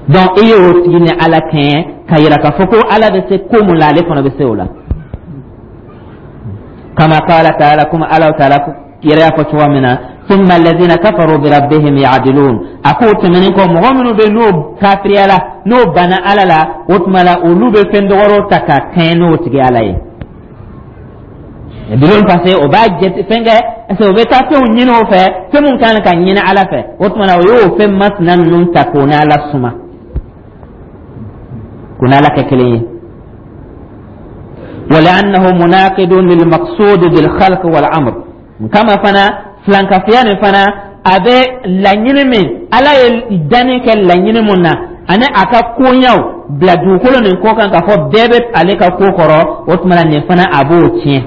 [SPEAKER 1] Donc i ye o tigi ni Ala kɛɲɛ ka yira k'a fɔ ko Ala bɛ se ko mun la, ale fana bɛ se o la. Kama qala ta'ala, kuma Ala ta'ala yɛrɛ y'a fɔ cogoya min na: thumma alladhina kafaru bi rabbihim ya'dilun. A k'o tɛmɛnen kɔ, mɔgɔ minnu bɛ n'o kafiriyala, n'o banna Ala la, o tuma la olu bɛ fɛn dɔgɔrɔw ta ka kɛɲɛ n'o tigi Ala ye. Ya'dilun, parce que o b'a jate fɛn kɛ, parce que o bɛ taa fɛnw ɲini o fɛ, fɛn mun kan ka ɲini Ala fɛ. O tuma la, o y'o fɛn masina ninnu ta k'o n'Ala suma, k'o n'Ala kɛ kelen ye. ولأنه مناقض للمقصود بالخلق والأمر. Kama fana, filankafiya nin fana, a bɛ laɲini min Ala ye danni kɛ, laɲini mun na, ani a ka koɲaw bila dugukolo nin kɔ kan, k'a fɔ bɛɛ bɛ ale ka ko kɔrɔ, o tuma la nin fana, a b'o tiɲɛ,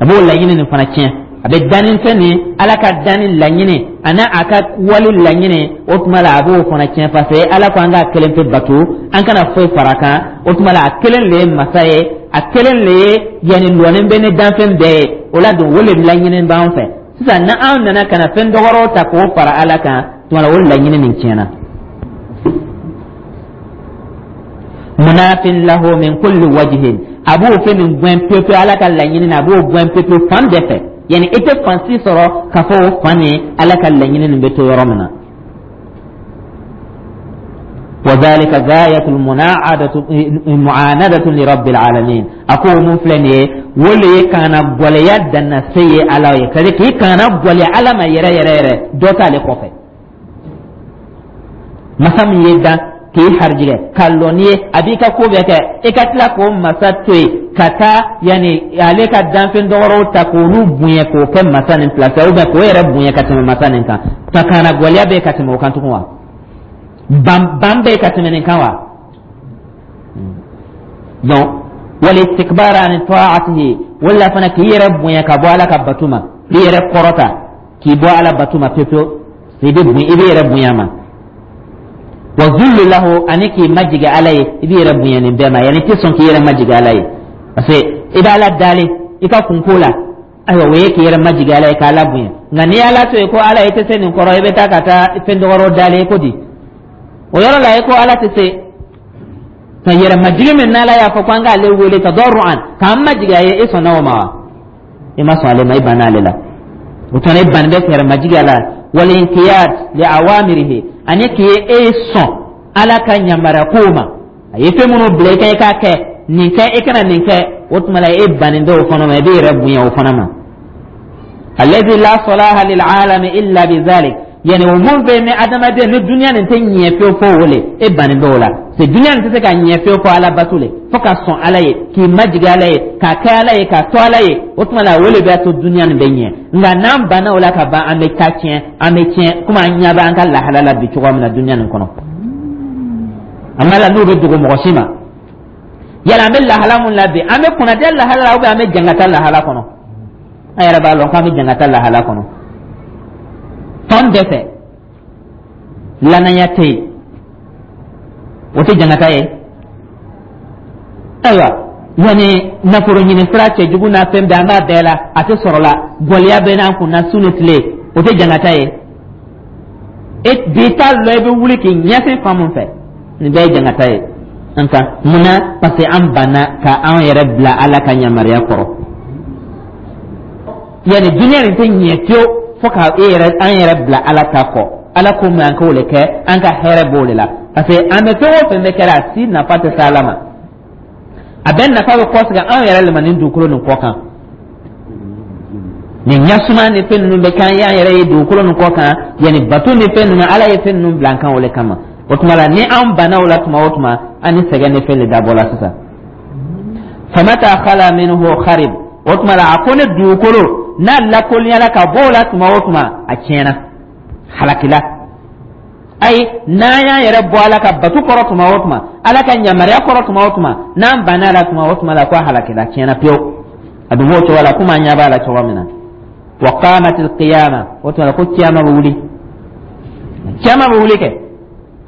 [SPEAKER 1] a b'o laɲini nin fana tiɲɛ. A bɛ danni fɛn nin, Ala ka danni laɲini ani a ka wali laɲini, o tuma la a b'o fana tiɲɛ, parce que Ala ko an k'a kelen pe bato, an kana foyi fara a kan. O tuma la, a kelen le ye masa ye, a kelen le ye yanni lɔnni bɛ ni danfɛn bɛɛ ye. O la don, o le laɲini b'an fɛ. Sisan ni anw nana ka na fɛn dɔgɔrɔw ta k'o fara Ala kan, tuma la o laɲini nin tiɲɛna. Munafin lahu min kulli wajhin, a b'o fɛn nin gɛn pewu pewu. Ala ka laɲini na, a b'o gɛn pewu pewu fan bɛɛ fɛ, yani i tɛ fan si sɔrɔ k'a fɔ o fan nin, Ala ka laɲini nin bɛ to yɔrɔ min na. وذلك غاية المناعدة معاندة لرب العالمين. أكو من فلان ولي كان غوليا دنا سي على كذلك كان غوليا على ما يرى يرى يرى دوتا لكوفه. Masa min ye dan k'i harijigɛ ka lɔ n'i ye, a b'i ka ko bɛɛ kɛ, i ka tila k'o masa to yen ka taa yanni ale ka danfɛn dɔgɔrɔw ta k'olu bonya k'o kɛ masa nin place, ou bien k'o yɛrɛ bonya ka tɛmɛ masa nin kan, ka kana gwɛlɛya bɛ ka tɛmɛ o kan tugun wa? Ban ban bɛ ka tɛmɛ nin kan wa? Donc wal istikbar an ta'atihi, wala fana k'i yɛrɛ bonya ka bɔ Ala ka bato ma, k'i yɛrɛ kɔrɔta k'i bɔ Ala bato ma pewu pewu, i bɛ bonya, i bɛ yɛrɛ bonya ma. Wa zullu lahu, ani k'i majigi Ala ye, i b'i yɛrɛ bonya nin bɛɛ ma, yanni i tɛ sɔn k'i yɛrɛ majigi Ala ye, parce que i bɛ Ala dali i ka kunko la. Ayiwa, o ye k'i yɛrɛ majigi Ala ye, k'Ala bonya. Nka n'i y'Ala to yen ko Ala, i tɛ se nin kɔrɔ, i bɛ taa ka taa fɛn dɔgɔrɔ dali ko di, o yɔrɔ la i ko Ala tɛ se ka yɛrɛ majigi min n'Ala y'a fɔ ko an k'ale wele tadarru'an, k'an majigi a ye, e sɔnna o ma wa? I ma sɔn ale ma, i banna ale la. O tuma, e banni bɛ k'i yɛrɛ majigi a la. Wal inqiyad li awamirihi, ani k'i e sɔn Ala ka yamaruya kow ma, a ye fɛn minnu bila i kan i k'a kɛ, nin kɛ, i kana nin kɛ, o tuma la e bannen bɛ o fana ma, i b'i yɛrɛ bonya o fana ma. Alladhi la salaha lil alami illa bi dhalik, yani o mun bɛ ni adamaden ni duniya nin tɛ ɲɛ fewu fo o le, e bannen bɛ o la. C'est duniya nin tɛ se ka ɲɛ fewu fo Ala bato le, fo ka sɔn Ala ye, k'i majigi Ala ye, k'a kɛ Ala ye, k'a to Ala ye. O tuma la, o le b'a to duniya nin bɛ ɲɛ. Nka n'an banna o la ka ban, an bɛ taa tiɲɛ, an bɛ tiɲɛ, komi an ɲɛ bɛ an ka lahala la bi cogoya min na duniya nin kɔnɔ. An b'a la n'o bɛ dogo mɔgɔ si ma. Yala an bɛ lahala mun la bi? An bɛ kunnadiya lahala la ou bien an bɛ jangata lahala kɔnɔ? An yɛrɛ b'a lɔn k'an bɛ jangata lahala kɔnɔ fan bɛɛ fɛ. Lanaya tɛ yen, o tɛ jangata ye. Ayiwa, Yani nafolo ɲini sira cɛjugu n'a fɛn bɛɛ, an b'a bɛɛ la, a tɛ sɔrɔ la. Gɔliya bɛ n'an kun na su ni tile, o tɛ jangata ye? E bi t'a lɔ, i bɛ wuli k'i ɲɛsin fan mun fɛ, nin bɛɛ ye jangata ye an kan. Mun na? Parce que an banna ka an yɛrɛ bila Ala ka yamaruya kɔrɔ. Yani duniya nin tɛ ɲɛ fiyewu fo ka e yɛrɛ, an yɛrɛ bila Ala ta kɔ. Ala ko min, an k'o le kɛ, an ka hɛrɛ b'o de la, parce que an bɛ fɛn o fɛn bɛ kɛra, a si nafa tɛ se Ala ma. A bɛɛ nafa bɛ kɔsegin anw yɛrɛ le ma nin dugukolo nin kɔ kan. Nin ɲasuma ni fɛn ninnu bɛ k'an y'an yɛrɛ ye dugukolo nin kɔ kan, yanni bato ni fɛn ninnu, Ala ye fɛn ninnu bila an kan o le kama. O tuma la, ni an banna o la tuma o tuma, an ni sɛgɛn ni fɛn de dabɔ la sisan. Famata khala minhu kharib. O tuma la, a ko ne dugukolo n'a lakolonyala ka bɔ o la tuma o tuma, a tiɲɛna, halakila. Ayi, n'an y'an yɛrɛ bɔ Ala ka batu kɔrɔ tuma o tuma, Ala ka yamaruya kɔrɔ tuma o tuma, n'an banna a la tuma o tuma la, ko a halakila, tiɲɛna pewu. A dun b'o cogo la, komi an ɲɛ b'a la cogo min na. Wa qamat alqiyama. O tuma la, ko kiyama bɛ wuli, kiyama bɛ wuli kɛ,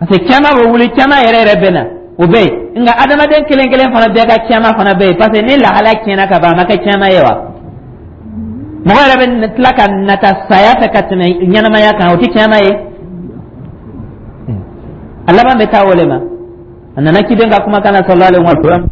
[SPEAKER 1] parce que kiyama bɛ wuli, kiyama yɛrɛ yɛrɛ bɛ na, o bɛ yen. Nka adamaden kelen kelen fana bɛɛ ka kiyama fana bɛ yen, parce que ni lahala tiɲɛna ka ban, a ma kɛ kiyama ye wa? Mɔgɔ yɛrɛ bɛ tila ka nata saya fɛ ka tɛmɛ ɲɛnamaya kan, o tɛ kiyama ye? A laban bɛ taa o le ma. A nana ciden ka kumakan na, sallallahu alaihi wa sallam.